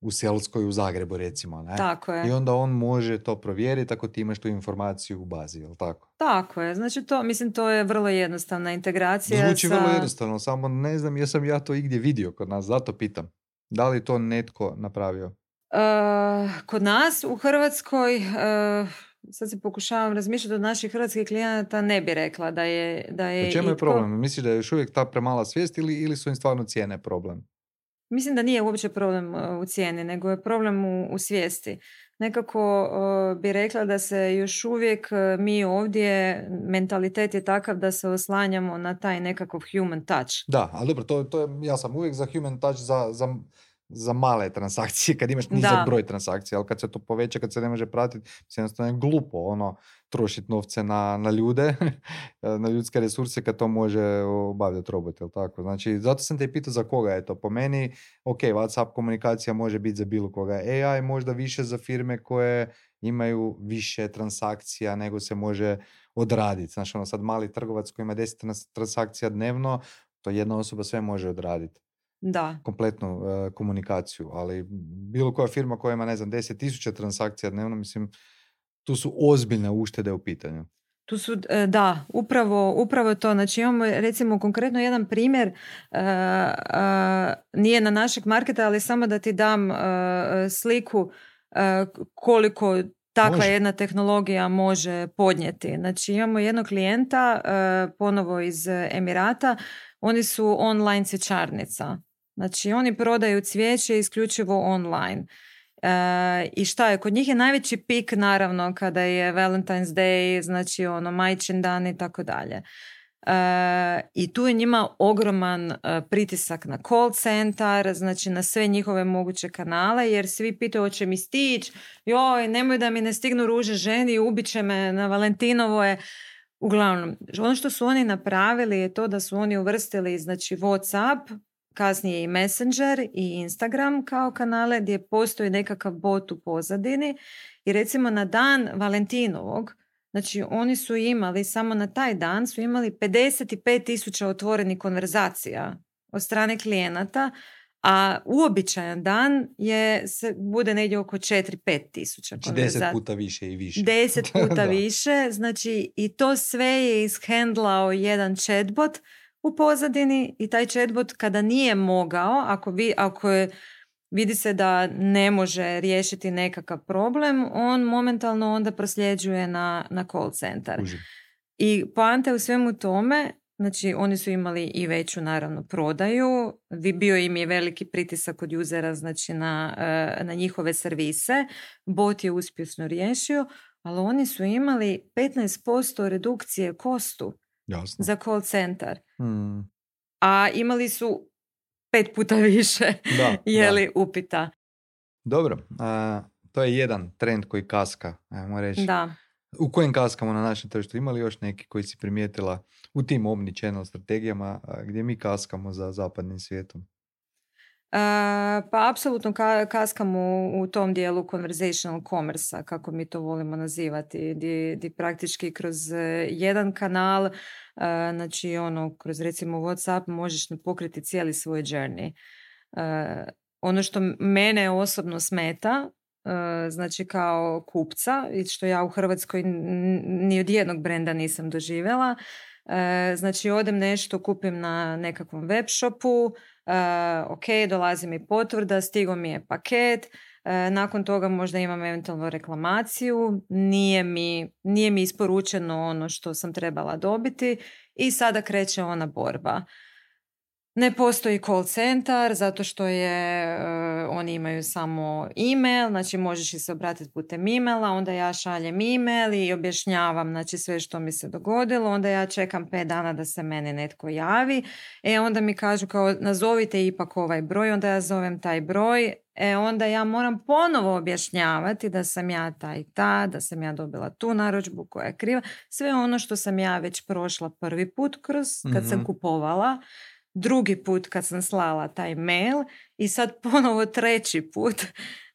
u Selskoj u Zagrebu recimo, ne? Tako je. I onda on može to provjeriti ako ti imaš tu informaciju u bazi, jel tako? Tako je, znači to je vrlo jednostavna integracija. Zvuči vrlo jednostavno, samo ne znam jesam ja to igdje vidio kod nas, zato pitam. Da li to netko napravio? Kod nas u Hrvatskoj, sad se pokušavam razmišljati od naših hrvatskih klijenata, ne bi rekla da je U čemu je problem? Misliš da je još uvijek ta premala svijest ili su im stvarno cijene problem? Mislim da nije uopće problem u cijeni, nego je problem u svijesti. Nekako bi rekla da se još uvijek mi ovdje, mentalitet je takav da se oslanjamo na taj nekakav human touch. Da, ali dobro, to je, ja sam uvijek za human touch za male transakcije, kad imaš nizak broj transakcija, ali kad se to poveća, kad se ne može pratiti, jednostavno je glupo trošiti novce na ljude, na ljudske resurse kad to može obavljati robot, jel tako? Znači, zato sam te i pitao za koga je to. Po meni, ok, WhatsApp komunikacija može biti za bilo koga. AI možda više za firme koje imaju više transakcija nego se može odraditi. Znači, sad mali trgovac koji ima 10 transakcija dnevno, to jedna osoba sve može odraditi. Da. Kompletnu komunikaciju, ali bilo koja firma koja ima, 10,000 transakcija dnevno, mislim, Tu su ozbiljne uštede u pitanju. Tu su, da, upravo to. Znači imamo recimo konkretno jedan primjer, nije na našeg marketa, ali samo da ti dam sliku koliko takva jedna tehnologija može podnijeti. Znači imamo jednog klijenta, ponovo iz Emirata, oni su online cvjećarnica. Znači oni prodaju cvijeće isključivo online. I šta je, kod njih je najveći pik naravno kada je Valentine's Day, znači majčin dan i tako dalje. I tu je njima ogroman pritisak na call centar, znači na sve njihove moguće kanale, jer svi pitaju hoće mi stići, joj nemoj da mi ne stignu ruže ženi, ubit će me na Valentinovo je. Uglavnom, ono što su oni napravili je to da su oni uvrstili znači WhatsApp, kasnije i Messenger i Instagram kao kanale gdje postoji nekakav bot u pozadini i recimo na dan Valentinovog, znači oni su imali, samo na taj dan su imali 55,000 otvorenih konverzacija od strane klijenata, a uobičajan dan bude negdje oko 4-5 tisuća konverzacija. 10 puta više i više. 10 puta više, znači i to sve je ishendlao jedan chatbot u pozadini i taj chatbot kada nije mogao, ako vidi se da ne može riješiti nekakav problem, on momentalno onda prosljeđuje na call centar. I poanta je u svemu tome, znači oni su imali i veću naravno prodaju, bio im je veliki pritisak od usera znači na njihove servise, bot je uspješno riješio, ali oni su imali 15% redukcije kostu. Jasno. Za call centar. A imali su 5 puta više upita. Dobro, to je jedan trend koji kaska, ajmo reći. Da. U kojem kaskamo na našem tržištu? Ima li još neki koji si primijetila u tim omnichannel strategijama gdje mi kaskamo za zapadnim svijetom? Pa apsolutno kaskamo u tom dijelu conversational commerce-a, kako mi to volimo nazivati, gdje praktički kroz jedan kanal, znači kroz recimo WhatsApp možeš pokriti cijeli svoj journey. Ono što mene osobno smeta, znači kao kupca, i što ja u Hrvatskoj ni od jednog brenda nisam doživjela, znači odem nešto, kupim na nekakvom web shopu, ok, dolazi mi potvrda, stigao mi je paket, nakon toga možda imam eventualno reklamaciju, nije mi isporučeno ono što sam trebala dobiti i sada kreće ona borba. Ne postoji call centar zato što oni imaju samo email, znači možeš se obratiti putem emaila, onda ja šaljem email i objašnjavam znači sve što mi se dogodilo, onda ja čekam 5 dana da se meni netko javi, onda mi kažu kao nazovite ipak ovaj broj, onda ja zovem taj broj, onda ja moram ponovo objašnjavati da sam ja ta i ta, da sam ja dobila tu narudžbu koja je kriva, sve ono što sam ja već prošla prvi put kad sam kupovala, drugi put kad sam slala taj mail i sad ponovo treći put,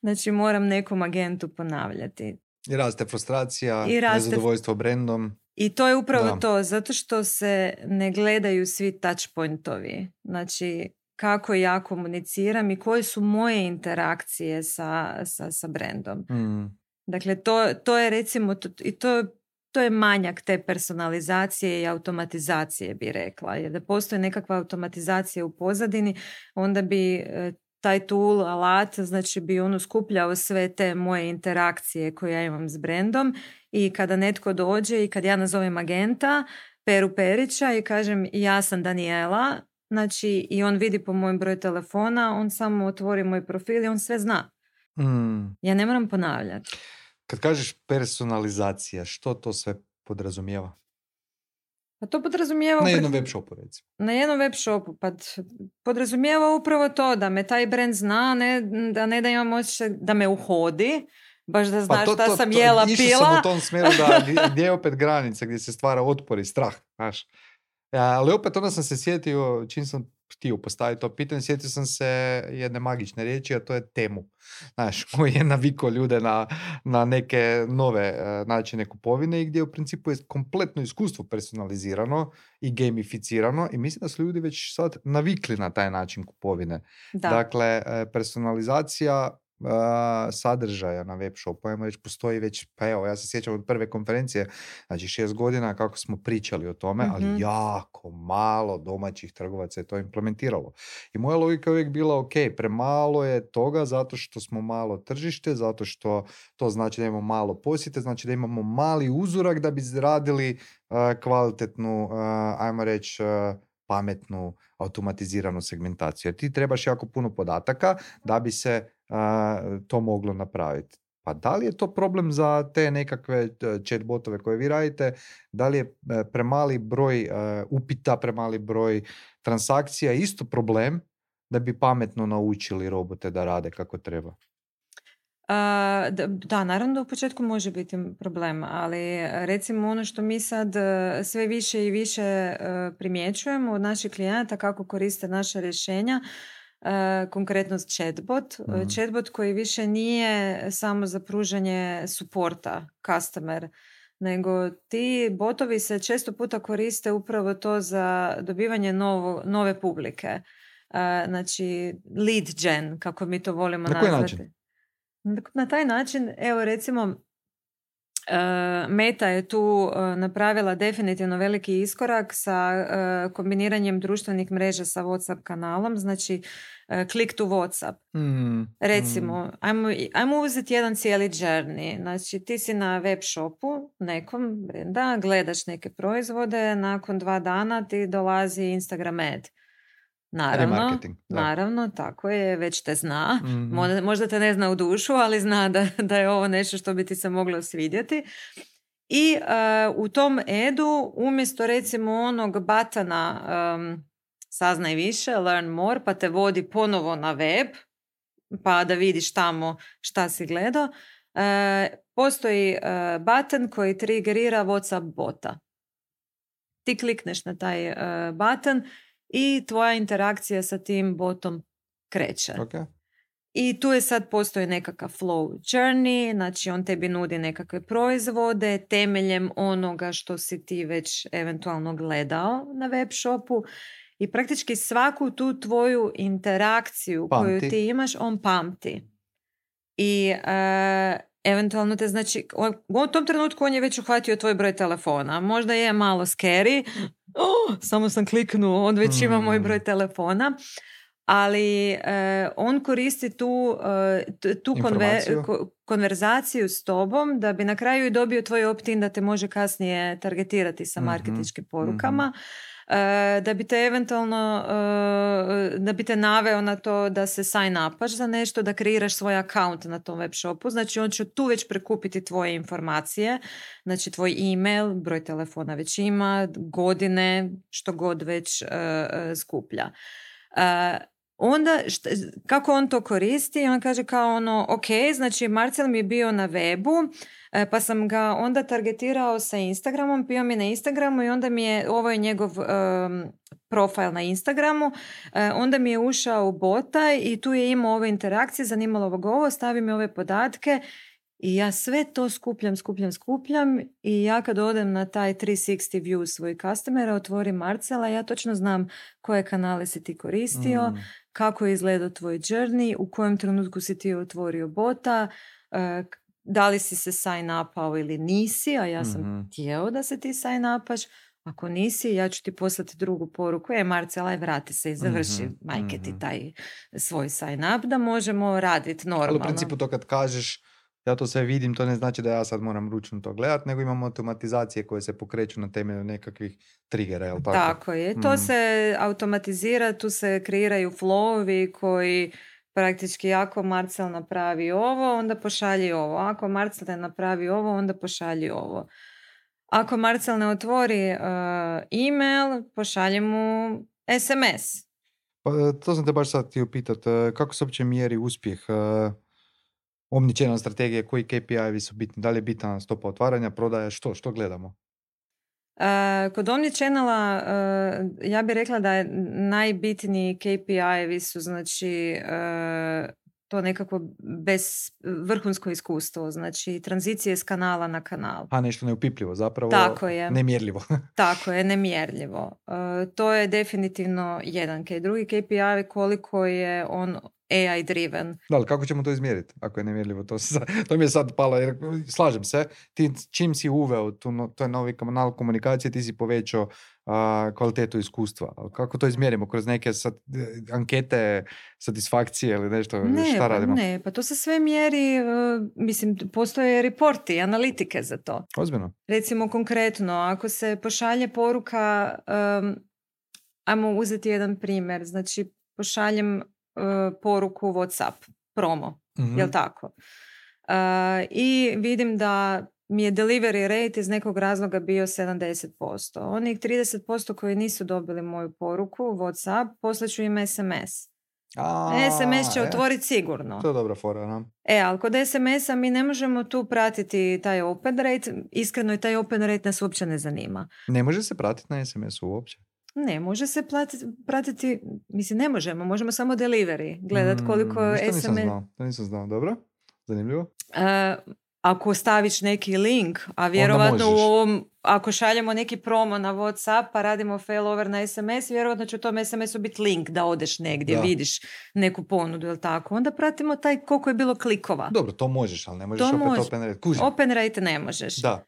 znači moram nekom agentu ponavljati. I raste frustracija, nezadovoljstvo brendom. I to je upravo to, zato što se ne gledaju svi touch pointovi. Znači, kako ja komuniciram i koje su moje interakcije sa brendom. Dakle, to je recimo, i to je manjak te personalizacije i automatizacije, bi rekla. Jer da postoji nekakva automatizacija u pozadini, onda bi taj tool, alat, znači bi skupljao sve te moje interakcije koje ja imam s brendom i kada netko dođe i kad ja nazovem agenta, Peru Perića i kažem ja sam Daniela, znači i on vidi po mojem broju telefona, on samo otvori moj profil i on sve zna. Ja ne moram ponavljati. Kad kažeš personalizacija, što to sve podrazumijeva? Pa to podrazumijeva... Na jednom web shopu, recimo. Na jednom web shopu, pa podrazumijeva upravo to da me taj brand zna, ne da imam osjećaj da me uhodi, baš da znaš šta sam jela, pila. Išao sam u tom smjeru gdje je opet granica, gdje se stvara otpor i strah, znaš. Ali opet onda sam se sjetio, čim sam htio postaviti to pitanje, sjetio sam se jedne magične riječi, a to je temu. Znaš, koji je navikao ljude na neke nove načine kupovine i gdje u principu je kompletno iskustvo personalizirano i gamificirano i mislim da su ljudi već sad navikli na taj način kupovine. Da. Dakle, personalizacija sadržaja na web shopu, ajmo reći, postoji već, pa evo, ja se sjećam od prve konferencije, znači 6 godina kako smo pričali o tome, ali jako malo domaćih trgovaca je to implementiralo. I moja logika je uvijek bila, ok, premalo je toga zato što smo malo tržište, zato što to znači da imamo malo posjete, znači da imamo mali uzorak da bi izradili kvalitetnu, ajmo reći, pametnu, automatiziranu segmentaciju. Jer ti trebaš jako puno podataka da bi se to moglo napraviti. Pa da li je to problem za te nekakve chatbotove koje vi radite? Da li je premali broj upita, premali broj transakcija isto problem da bi pametno naučili robote da rade kako treba? Da, naravno da u početku može biti problem, ali recimo ono što mi sad sve više i više primjećujemo od naših klijenata kako koriste naša rješenja, konkretno chatbot. Chatbot koji više nije samo za pružanje suporta, customer, nego ti botovi se često puta koriste upravo to za dobivanje nove publike. Znači lead gen, kako mi to volimo nazvati. Na koji način? Na taj način, evo recimo, Meta je tu napravila definitivno veliki iskorak sa kombiniranjem društvenih mreža sa WhatsApp kanalom, znači click to WhatsApp. Recimo, ajmo uzeti jedan cijeli journey. Znači, ti si na web shopu nekom brenda, gledaš neke proizvode, nakon 2 dana ti dolazi Instagram ad. Naravno, tako je, već te zna. Možda te ne zna u dušu, ali zna da je ovo nešto što bi ti se moglo svidjeti. I u tom edu, umjesto recimo onog batana saznaj više, learn more, pa te vodi ponovo na web, pa da vidiš tamo šta si gledao, postoji button koji triggerira WhatsApp bota. Ti klikneš na taj button i tvoja interakcija sa tim botom kreće. Okay. I tu je sad postoji nekakav flow journey, znači on tebi nudi nekakve proizvode temeljem onoga što si ti već eventualno gledao na web shopu i praktički svaku tu tvoju interakciju koju ti imaš, on pamti. I eventualno te, znači, u tom trenutku on je već uhvatio tvoj broj telefona. Možda je malo scary, samo sam kliknuo, on već ima moj broj telefona, ali on koristi tu konverzaciju s tobom da bi na kraju i dobio tvoj opt-in da te može kasnije targetirati sa marketinškim porukama. Da bi te eventualno da bi te naveo na to da se sign upaš za nešto, da kreiraš svoj account na tom web shopu. Znači on će tu već prekupiti tvoje informacije, znači tvoj email, broj telefona već ima, godine, što god već skuplja. Onda, kako on to koristi? On kaže kao ono, ok, znači Marcel mi je bio na webu, pa sam ga onda targetirao sa Instagramom, bio mi na Instagramu i onda mi je, ovo je njegov profil na Instagramu, onda mi je ušao u bota i tu je imao ove interakcije, zanimalo ga ovo, stavi mi ove podatke i ja sve to skupljam i ja kad odem na taj 360 view svojih customera, otvorim Marcela, ja točno znam koje kanale si ti koristio, kako je izgledao tvoj journey, u kojem trenutku si ti otvorio bota, da li si se sign upao ili nisi, a ja sam htjeo da se ti sign upaš. Ako nisi, ja ću ti poslati drugu poruku. Marcela, vrati se i završi majke ti taj svoj sign up da možemo raditi normalno. Ali u principu to kad kažeš ja to sve vidim, to ne znači da ja sad moram ručno to gledati, nego imamo automatizacije koje se pokreću na temelju nekakvih triggera, jel tako? Tako je, to se automatizira, tu se kreiraju flowovi koji praktički ako Marcel napravi ovo, onda pošalji ovo. Ako Marcel ne napravi ovo, onda pošalji ovo. Ako Marcel ne otvori email, pošalji mu SMS. Pa, to sam te baš sad htio pitati. Kako se uopće mjeri uspjeh omnichannel strategije, koji KPI-vi su bitni? Da li je bitna stopa otvaranja, prodaje, što gledamo? Kod omnichannela ja bih rekla da je najbitniji KPI-vi su znači to nekako vrhunsko iskustvo, znači tranzicije s kanala na kanal. A nešto neupipljivo, zapravo tako je. Nemjerljivo. Tako je, nemjerljivo. To je definitivno jedan. Drugi KPI koliko je on AI driven. Da, ali kako ćemo to izmjeriti ako je nemjerljivo? To mi je sad palo, jer slažem se, ti čim si uveo to je novi kanal komunikacije, ti si povećao kvalitetu iskustva. Ali kako to izmjerimo? Kroz neke ankete satisfakcije ili nešto? Šta radimo? Ne, pa to se sve mjeri, mislim, postoje reporti, analitike za to. Ozbiljno? Recimo konkretno, ako se pošalje poruka, ajmo uzeti jedan primjer, znači pošaljem poruku WhatsApp, promo, jel tako? I vidim da mi je delivery rate iz nekog razloga bio 70%. Onih 30% koji nisu dobili moju poruku, WhatsApp, poslaću im SMS. SMS će otvoriti sigurno. To je dobra fora, no? Ali kod SMS-a mi ne možemo tu pratiti taj open rate. Iskreno i taj open rate nas uopće ne zanima. Ne može se pratiti na SMS-u uopće? Ne, može se pratiti, mislim ne možemo samo delivery, gledat koliko SMS... To nisam znao, dobro, zanimljivo. Ako staviš neki link, a vjerovatno u ovom, ako šaljemo neki promo na WhatsApp pa radimo failover na SMS, vjerovatno će u tom SMS-u biti link da odeš negdje, vidiš neku ponudu, ili tako. Onda pratimo taj koliko je bilo klikova. Dobro, to možeš, ali ne možeš opet open rate. Kužim. Open rate ne možeš. Da.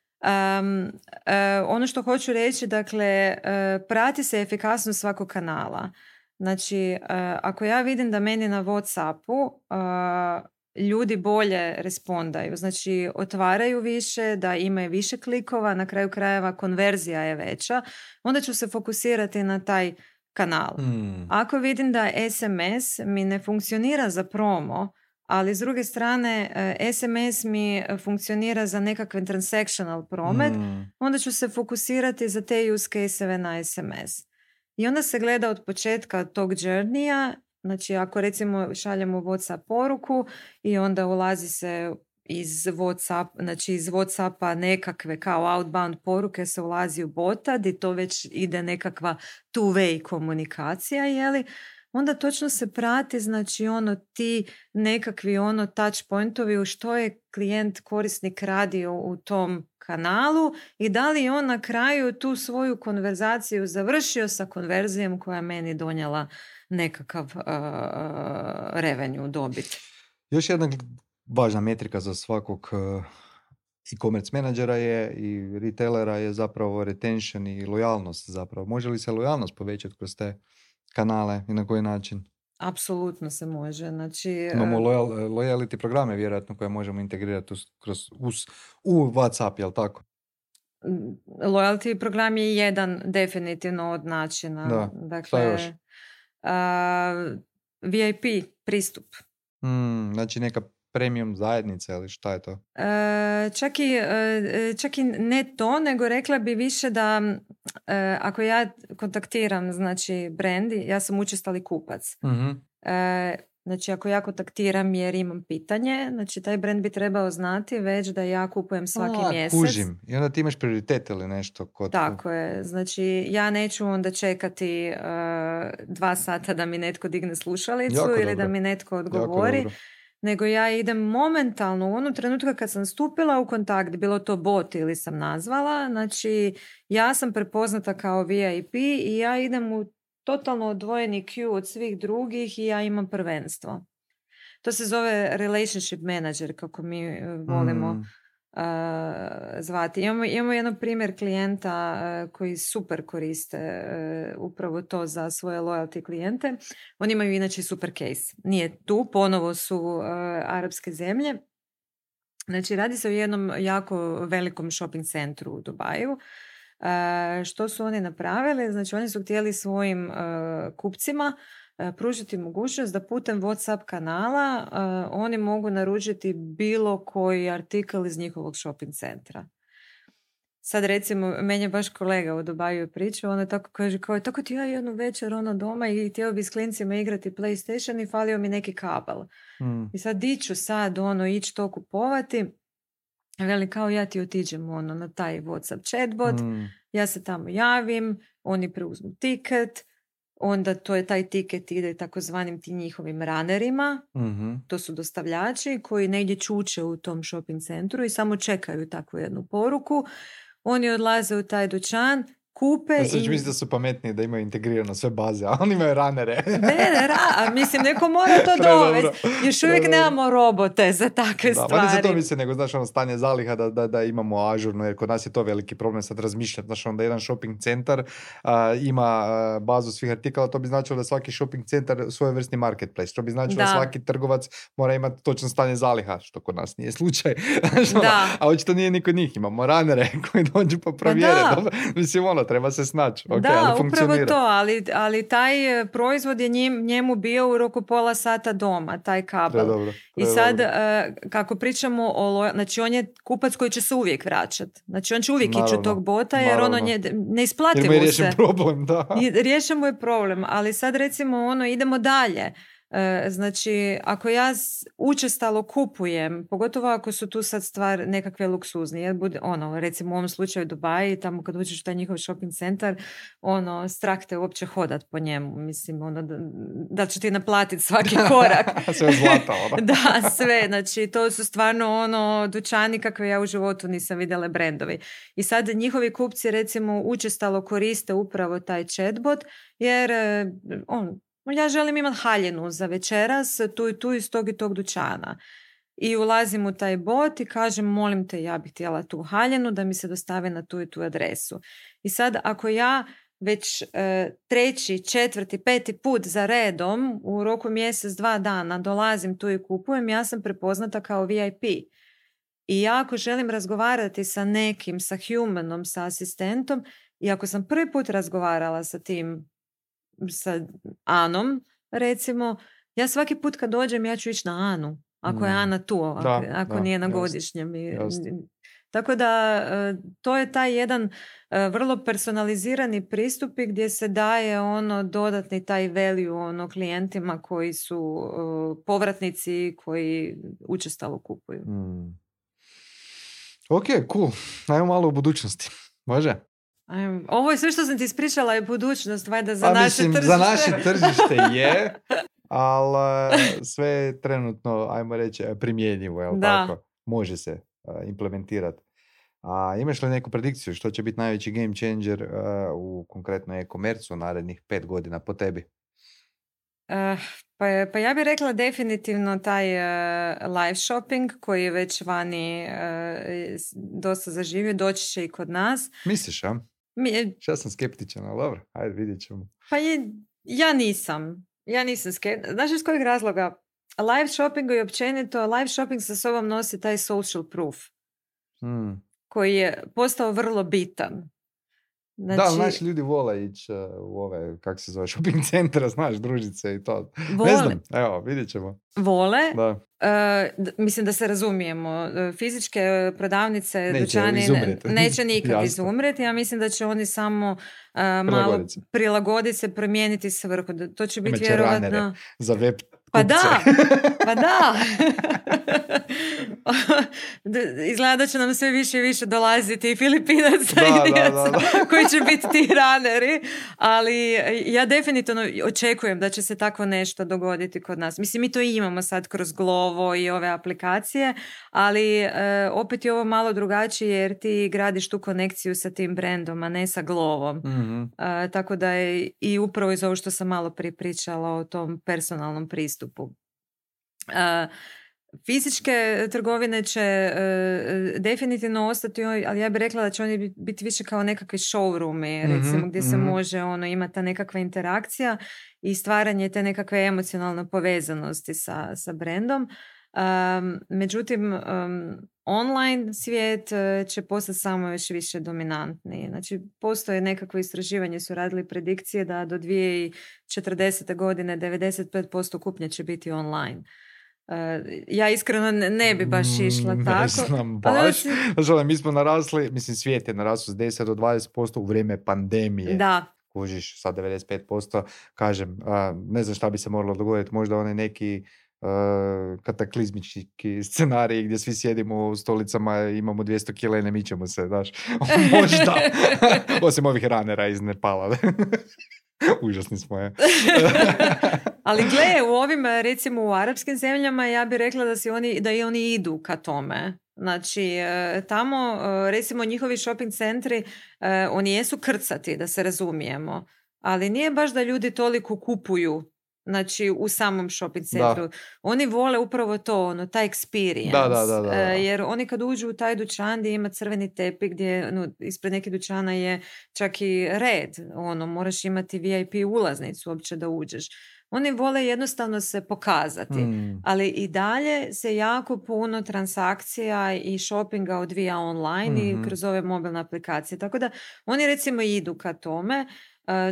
Ono što hoću reći, dakle, prati se efikasnost svakog kanala. Znači, ako ja vidim da meni na WhatsAppu ljudi bolje respondaju, znači otvaraju više, da imaju više klikova, na kraju krajeva konverzija je veća, onda ću se fokusirati na taj kanal. Ako vidim da SMS mi ne funkcionira za promo, ali s druge strane SMS mi funkcionira za nekakve transactional promet, onda ću se fokusirati za te use case-eve na SMS. I onda se gleda od početka tog journeya. Znači, ako recimo šaljemo WhatsApp poruku i onda ulazi se iz WhatsAppa nekakve kao outbound poruke se ulazi u bota, gdje to već ide nekakva two-way komunikacija, jeli? Onda točno se prati, znači ti nekakvi touch pointovi u što je klijent, korisnik radio u tom kanalu i da li on na kraju tu svoju konverzaciju završio sa konverzijom koja meni donijela nekakav revenue, dobit. Još jedna važna metrika za svakog e-commerce menadžera je i retailera je zapravo retention i lojalnost zapravo. Može li se lojalnost povećati kroz te kanale i na koji način? Apsolutno se može. Znači, imamo loyalty programe vjerojatno koje možemo integrirati u WhatsApp, jel tako? Loyalty program je jedan definitivno od načina. Da, dakle, šta još? VIP pristup. Znači neka premium zajednica ili šta je to? Čak i ne to, nego rekla bi više da ako ja kontaktiram znači brand, ja sam učestali kupac. Znači ako ja kontaktiram jer imam pitanje, znači taj brand bi trebao znati već da ja kupujem svaki mjesec. Kužim. I onda ti imaš prioritet ili nešto kod... Tako je. Znači ja neću onda čekati 2 sata da mi netko digne slušalicu ili da mi netko odgovori. Nego ja idem momentalno u onom trenutku kad sam stupila u kontakt, bilo to bot ili sam nazvala, znači ja sam prepoznata kao VIP i ja idem u totalno odvojeni queue od svih drugih i ja imam prvenstvo. To se zove relationship manager, kako mi volimo zvati. Imamo jedan primjer klijenta koji super koriste upravo to za svoje loyalty klijente. Oni imaju inače super case. Nije tu, ponovo su arapske zemlje. Znači radi se o jednom jako velikom shopping centru u Dubaju. Što su oni napravili? Znači oni su htjeli svojim kupcima pružiti mogućnost da putem WhatsApp kanala oni mogu naručiti bilo koji artikl iz njihovog shopping centra. Sad recimo, meni je baš kolega u Dubaju pričao, ona tako kaže, kao tako ti ja jednu večer doma i htio bi s klincima igrati PlayStation i falio mi neki kabel. I sad diću sad ići to kupovati. Veli kao ja ti otiđem na taj WhatsApp chatbot, ja se tamo javim, oni preuzmu tiket, onda taj tiket ide takozvanim ti njihovim runnerima, to su dostavljači koji negdje čuče u tom shopping centru i samo čekaju takvu jednu poruku. Oni odlaze u taj dućan, kupe Znači, i... mislim da su pametniji da imaju integrirano sve baze, a oni imaju ranere. Mislim, neko mora to dovesti. Još uvijek nemamo robote za takve Da, stvari. ne za to mislim, nego znaš ono stanje zaliha da imamo ažurno, jer kod nas je to veliki problem sad razmišljati. Znaš onda jedan shopping centar ima bazu svih artikala, to bi značilo da svaki shopping centar svojevrsni marketplace, što bi značilo da svaki trgovac mora imati točno stanje zaliha, što kod nas nije slučaj. A očito nije ni kod njih, imamo ranere koji dođu pa provjere. Mislim, treba se snaći. Okay, da, ali upravo to, ali taj proizvod je njemu bio u roku pola sata doma, taj kabel. Dobro. I sad, kako pričamo znači on je kupac koji će se uvijek vraćati. Znači on će uvijek ići od tog bota, jer ono ne isplati mu se. Jer mu je riješen problem, da. Riješen mu je problem, ali sad recimo idemo dalje. Znači, ako ja učestalo kupujem, pogotovo ako su tu sad stvar nekakve luksuznije, recimo u ovom slučaju Dubai, tamo kad uđeš u taj njihov shopping centar, strah te uopće hodat po njemu, mislim, da će ti naplatiti svaki korak. Sve zlata, Da, sve, znači, to su stvarno dućani kakve ja u životu nisam vidjela, brendovi. I sad njihovi kupci recimo učestalo koriste upravo taj chatbot, jer ja želim imati haljinu za večeras, tu i tu iz tog i tog dućana. I ulazim u taj bot i kažem, molim te, ja bih htjela tu haljinu da mi se dostave na tu i tu adresu. I sad, ako ja već 3., 4., 5. put za redom u roku mjesec, 2 dana dolazim tu i kupujem, ja sam prepoznata kao VIP. I ja ako želim razgovarati sa nekim, sa humanom, sa asistentom, i ako sam prvi put razgovarala sa Anom, recimo, ja svaki put kad dođem ja ću ići na Anu, ako je Ana tu, ako nije na godišnjem. Tako da to je taj jedan vrlo personalizirani pristup gdje se daje dodatni taj value klijentima koji su povratnici, koji učestalo kupuju. Ok, cool. Ajmo malo u budućnosti. Može? Ovo je sve što sam ti ispričala je budućnost, valjda za naše tržište. Za naše tržište je, ali sve je trenutno, ajmo reći, primjenjivo, jel tako? Može se implementirati. A imaš li neku predikciju što će biti najveći game changer u konkretno e-commerce u narednih 5 godina po tebi? Pa ja bih rekla definitivno taj live shopping koji je već vani dosta zaživio, doći će i kod nas. Misliš, a? Ja sam skeptičan, ali dobro, ajde vidjet ćemo. Pa ja nisam skeptičan. Znaš iz kojeg razloga? Live shopping i općenito, live shopping sa sobom nosi taj social proof koji je postao vrlo bitan. Znači, da, znaš, ljudi vole ići u ove, kako se zove, shopping centra, znaš, družice i to. Vole. Ne znam, evo, vidjet ćemo. Vole. Da. Mislim da se razumijemo. Fizičke prodavnice, dućani neće nikad izumreti. Ja mislim da će oni samo malo prilagoditi se, promijeniti svrhu. To će biti vjerovatno... za web Pa da. Izgleda da će nam sve više i više dolaziti i Filipinaca i Indijaca koji će biti ti raneri, ali ja definitivno očekujem da će se tako nešto dogoditi kod nas. Mislim, mi to imamo sad kroz Glovo i ove aplikacije, ali opet je ovo malo drugačije jer ti gradiš tu konekciju sa tim brendom, a ne sa Glovom. Mm-hmm. Tako da je i upravo iz ovo što sam malo prije pričala o tom personalnom pristupu. Fizičke trgovine će definitivno ostati, ali ja bih rekla da će oni biti više kao nekakvi showroomi, recimo, gdje se može imati ta nekakva interakcija i stvaranje te nekakve emocionalne povezanosti sa brendom. Međutim, online svijet će postati samo još više dominantniji. Znači, postoje nekakvo istraživanje, su radili predikcije da do 2040. godine 95% kupnje će biti online. Ja iskreno ne bi baš išla tako. Ne znam baš. Znači, mi smo narasli, mislim svijet je narasli s 10 do 20% u vrijeme pandemije. Da. Kužiš, sad 95%, kažem, ne znam šta bi se moralo dogoditi, možda onaj neki kataklizmički scenarij gdje svi sjedimo u stolicama, imamo 200 kila i ne mičemo se, znaš. Možda. Osim ovih ranera iz Nepala. Užasni smo, je. Ali gle, u ovim, recimo u arapskim zemljama, ja bih rekla da i oni idu ka tome. Znači, tamo, recimo, njihovi shopping centri, oni jesu krcati, da se razumijemo, ali nije baš da ljudi toliko kupuju, znači, u samom shopping centru. Da, Oni vole upravo to, taj experience, da. jer oni kad uđu u taj dućan gdje ima crveni tepih, gdje ispred nekih dućana je čak i red, moraš imati VIP ulaznicu uopće da uđeš. Oni vole jednostavno se pokazati, ali i dalje se jako puno transakcija i shoppinga odvija online i kroz ove mobilne aplikacije. Tako da oni recimo idu ka tome.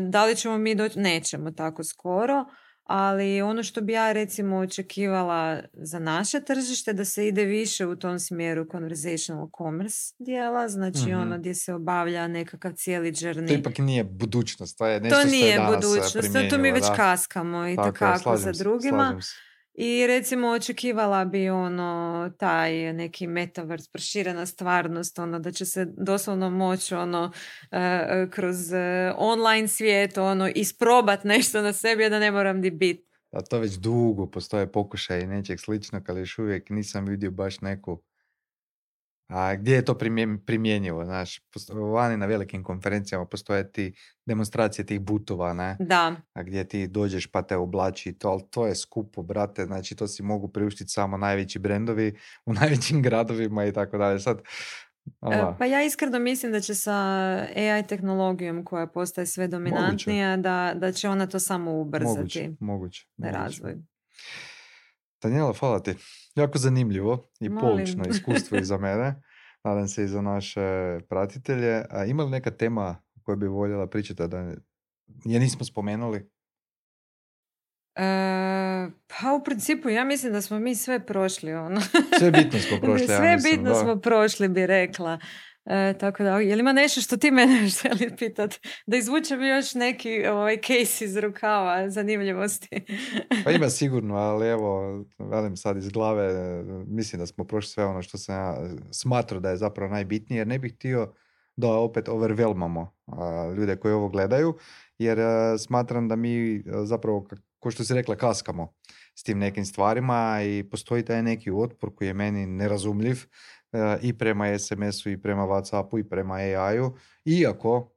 Da li ćemo mi doći? Nećemo tako skoro, ali ono što bi ja recimo očekivala za naše tržište da se ide više u tom smjeru conversational commerce dijela, znači gdje se obavlja nekakav cijeli journey. To ipak nije budućnost, to je nešto što je nije danas budućnost, to mi već kaskamo i tako za drugima. I recimo očekivala bi taj neki metaverse, proširena stvarnost, da će se doslovno moći kroz online svijet isprobat nešto na sebi, da ne moram di biti. A to već dugo postoje pokušaj nečeg sličnog, ali još uvijek nisam vidio baš neku. A gdje je to primjenjivo? Znaš, vani na velikim konferencijama postoje ti demonstracije tih butova, ne? Da. A gdje ti dođeš pa te oblači i to, ali to je skupo, brate, znači to si mogu priuštiti samo najveći brendovi u najvećim gradovima i tako dalje. Sad, pa ja iskreno mislim da će sa AI tehnologijom koja postaje sve dominantnija, da će ona to samo ubrzati. Moguće. Razvoj. Daniela, hvala ti. Jako zanimljivo i poučno iskustvo i za mene. Nadam se i za naše pratitelje. A ima li neka tema koju bi voljela pričati da je nismo spomenuli? Pa u principu ja mislim da smo mi sve prošli. Sve bitno smo prošli. Sve bitno smo prošli, bi rekla. Tako da, je li ima nešto što ti mene želi pitati? Da izvučem još neki case iz rukava zanimljivosti. Pa ima sigurno, ali evo, velim sad iz glave, mislim da smo prošli sve ono što sam ja smatrao da je zapravo najbitnije, jer ne bih htio da opet overwhelmamo ljude koji ovo gledaju, jer smatram da mi zapravo, ko što si rekla, kaskamo s tim nekim stvarima i postoji taj neki otpor koji je meni nerazumljiv i prema SMS-u i prema WhatsAppu i prema AI-u, iako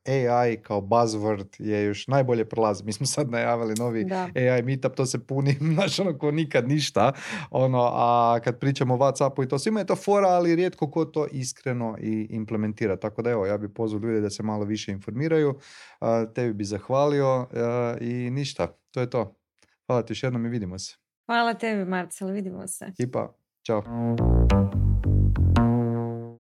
AI kao buzzword je još najbolje prolazi. Mi smo sad najavili novi AI meetup, to se puni ko nikad ništa, a kad pričamo o WhatsAppu i to svima je to fora, ali rijetko ko to iskreno i implementira. Tako da evo, ja bih pozvao ljude da se malo više informiraju, tebi bi zahvalio i ništa, to je to. Hvala ti još jednom i vidimo se. Hvala tebi, Marcel, vidimo se. Ćao.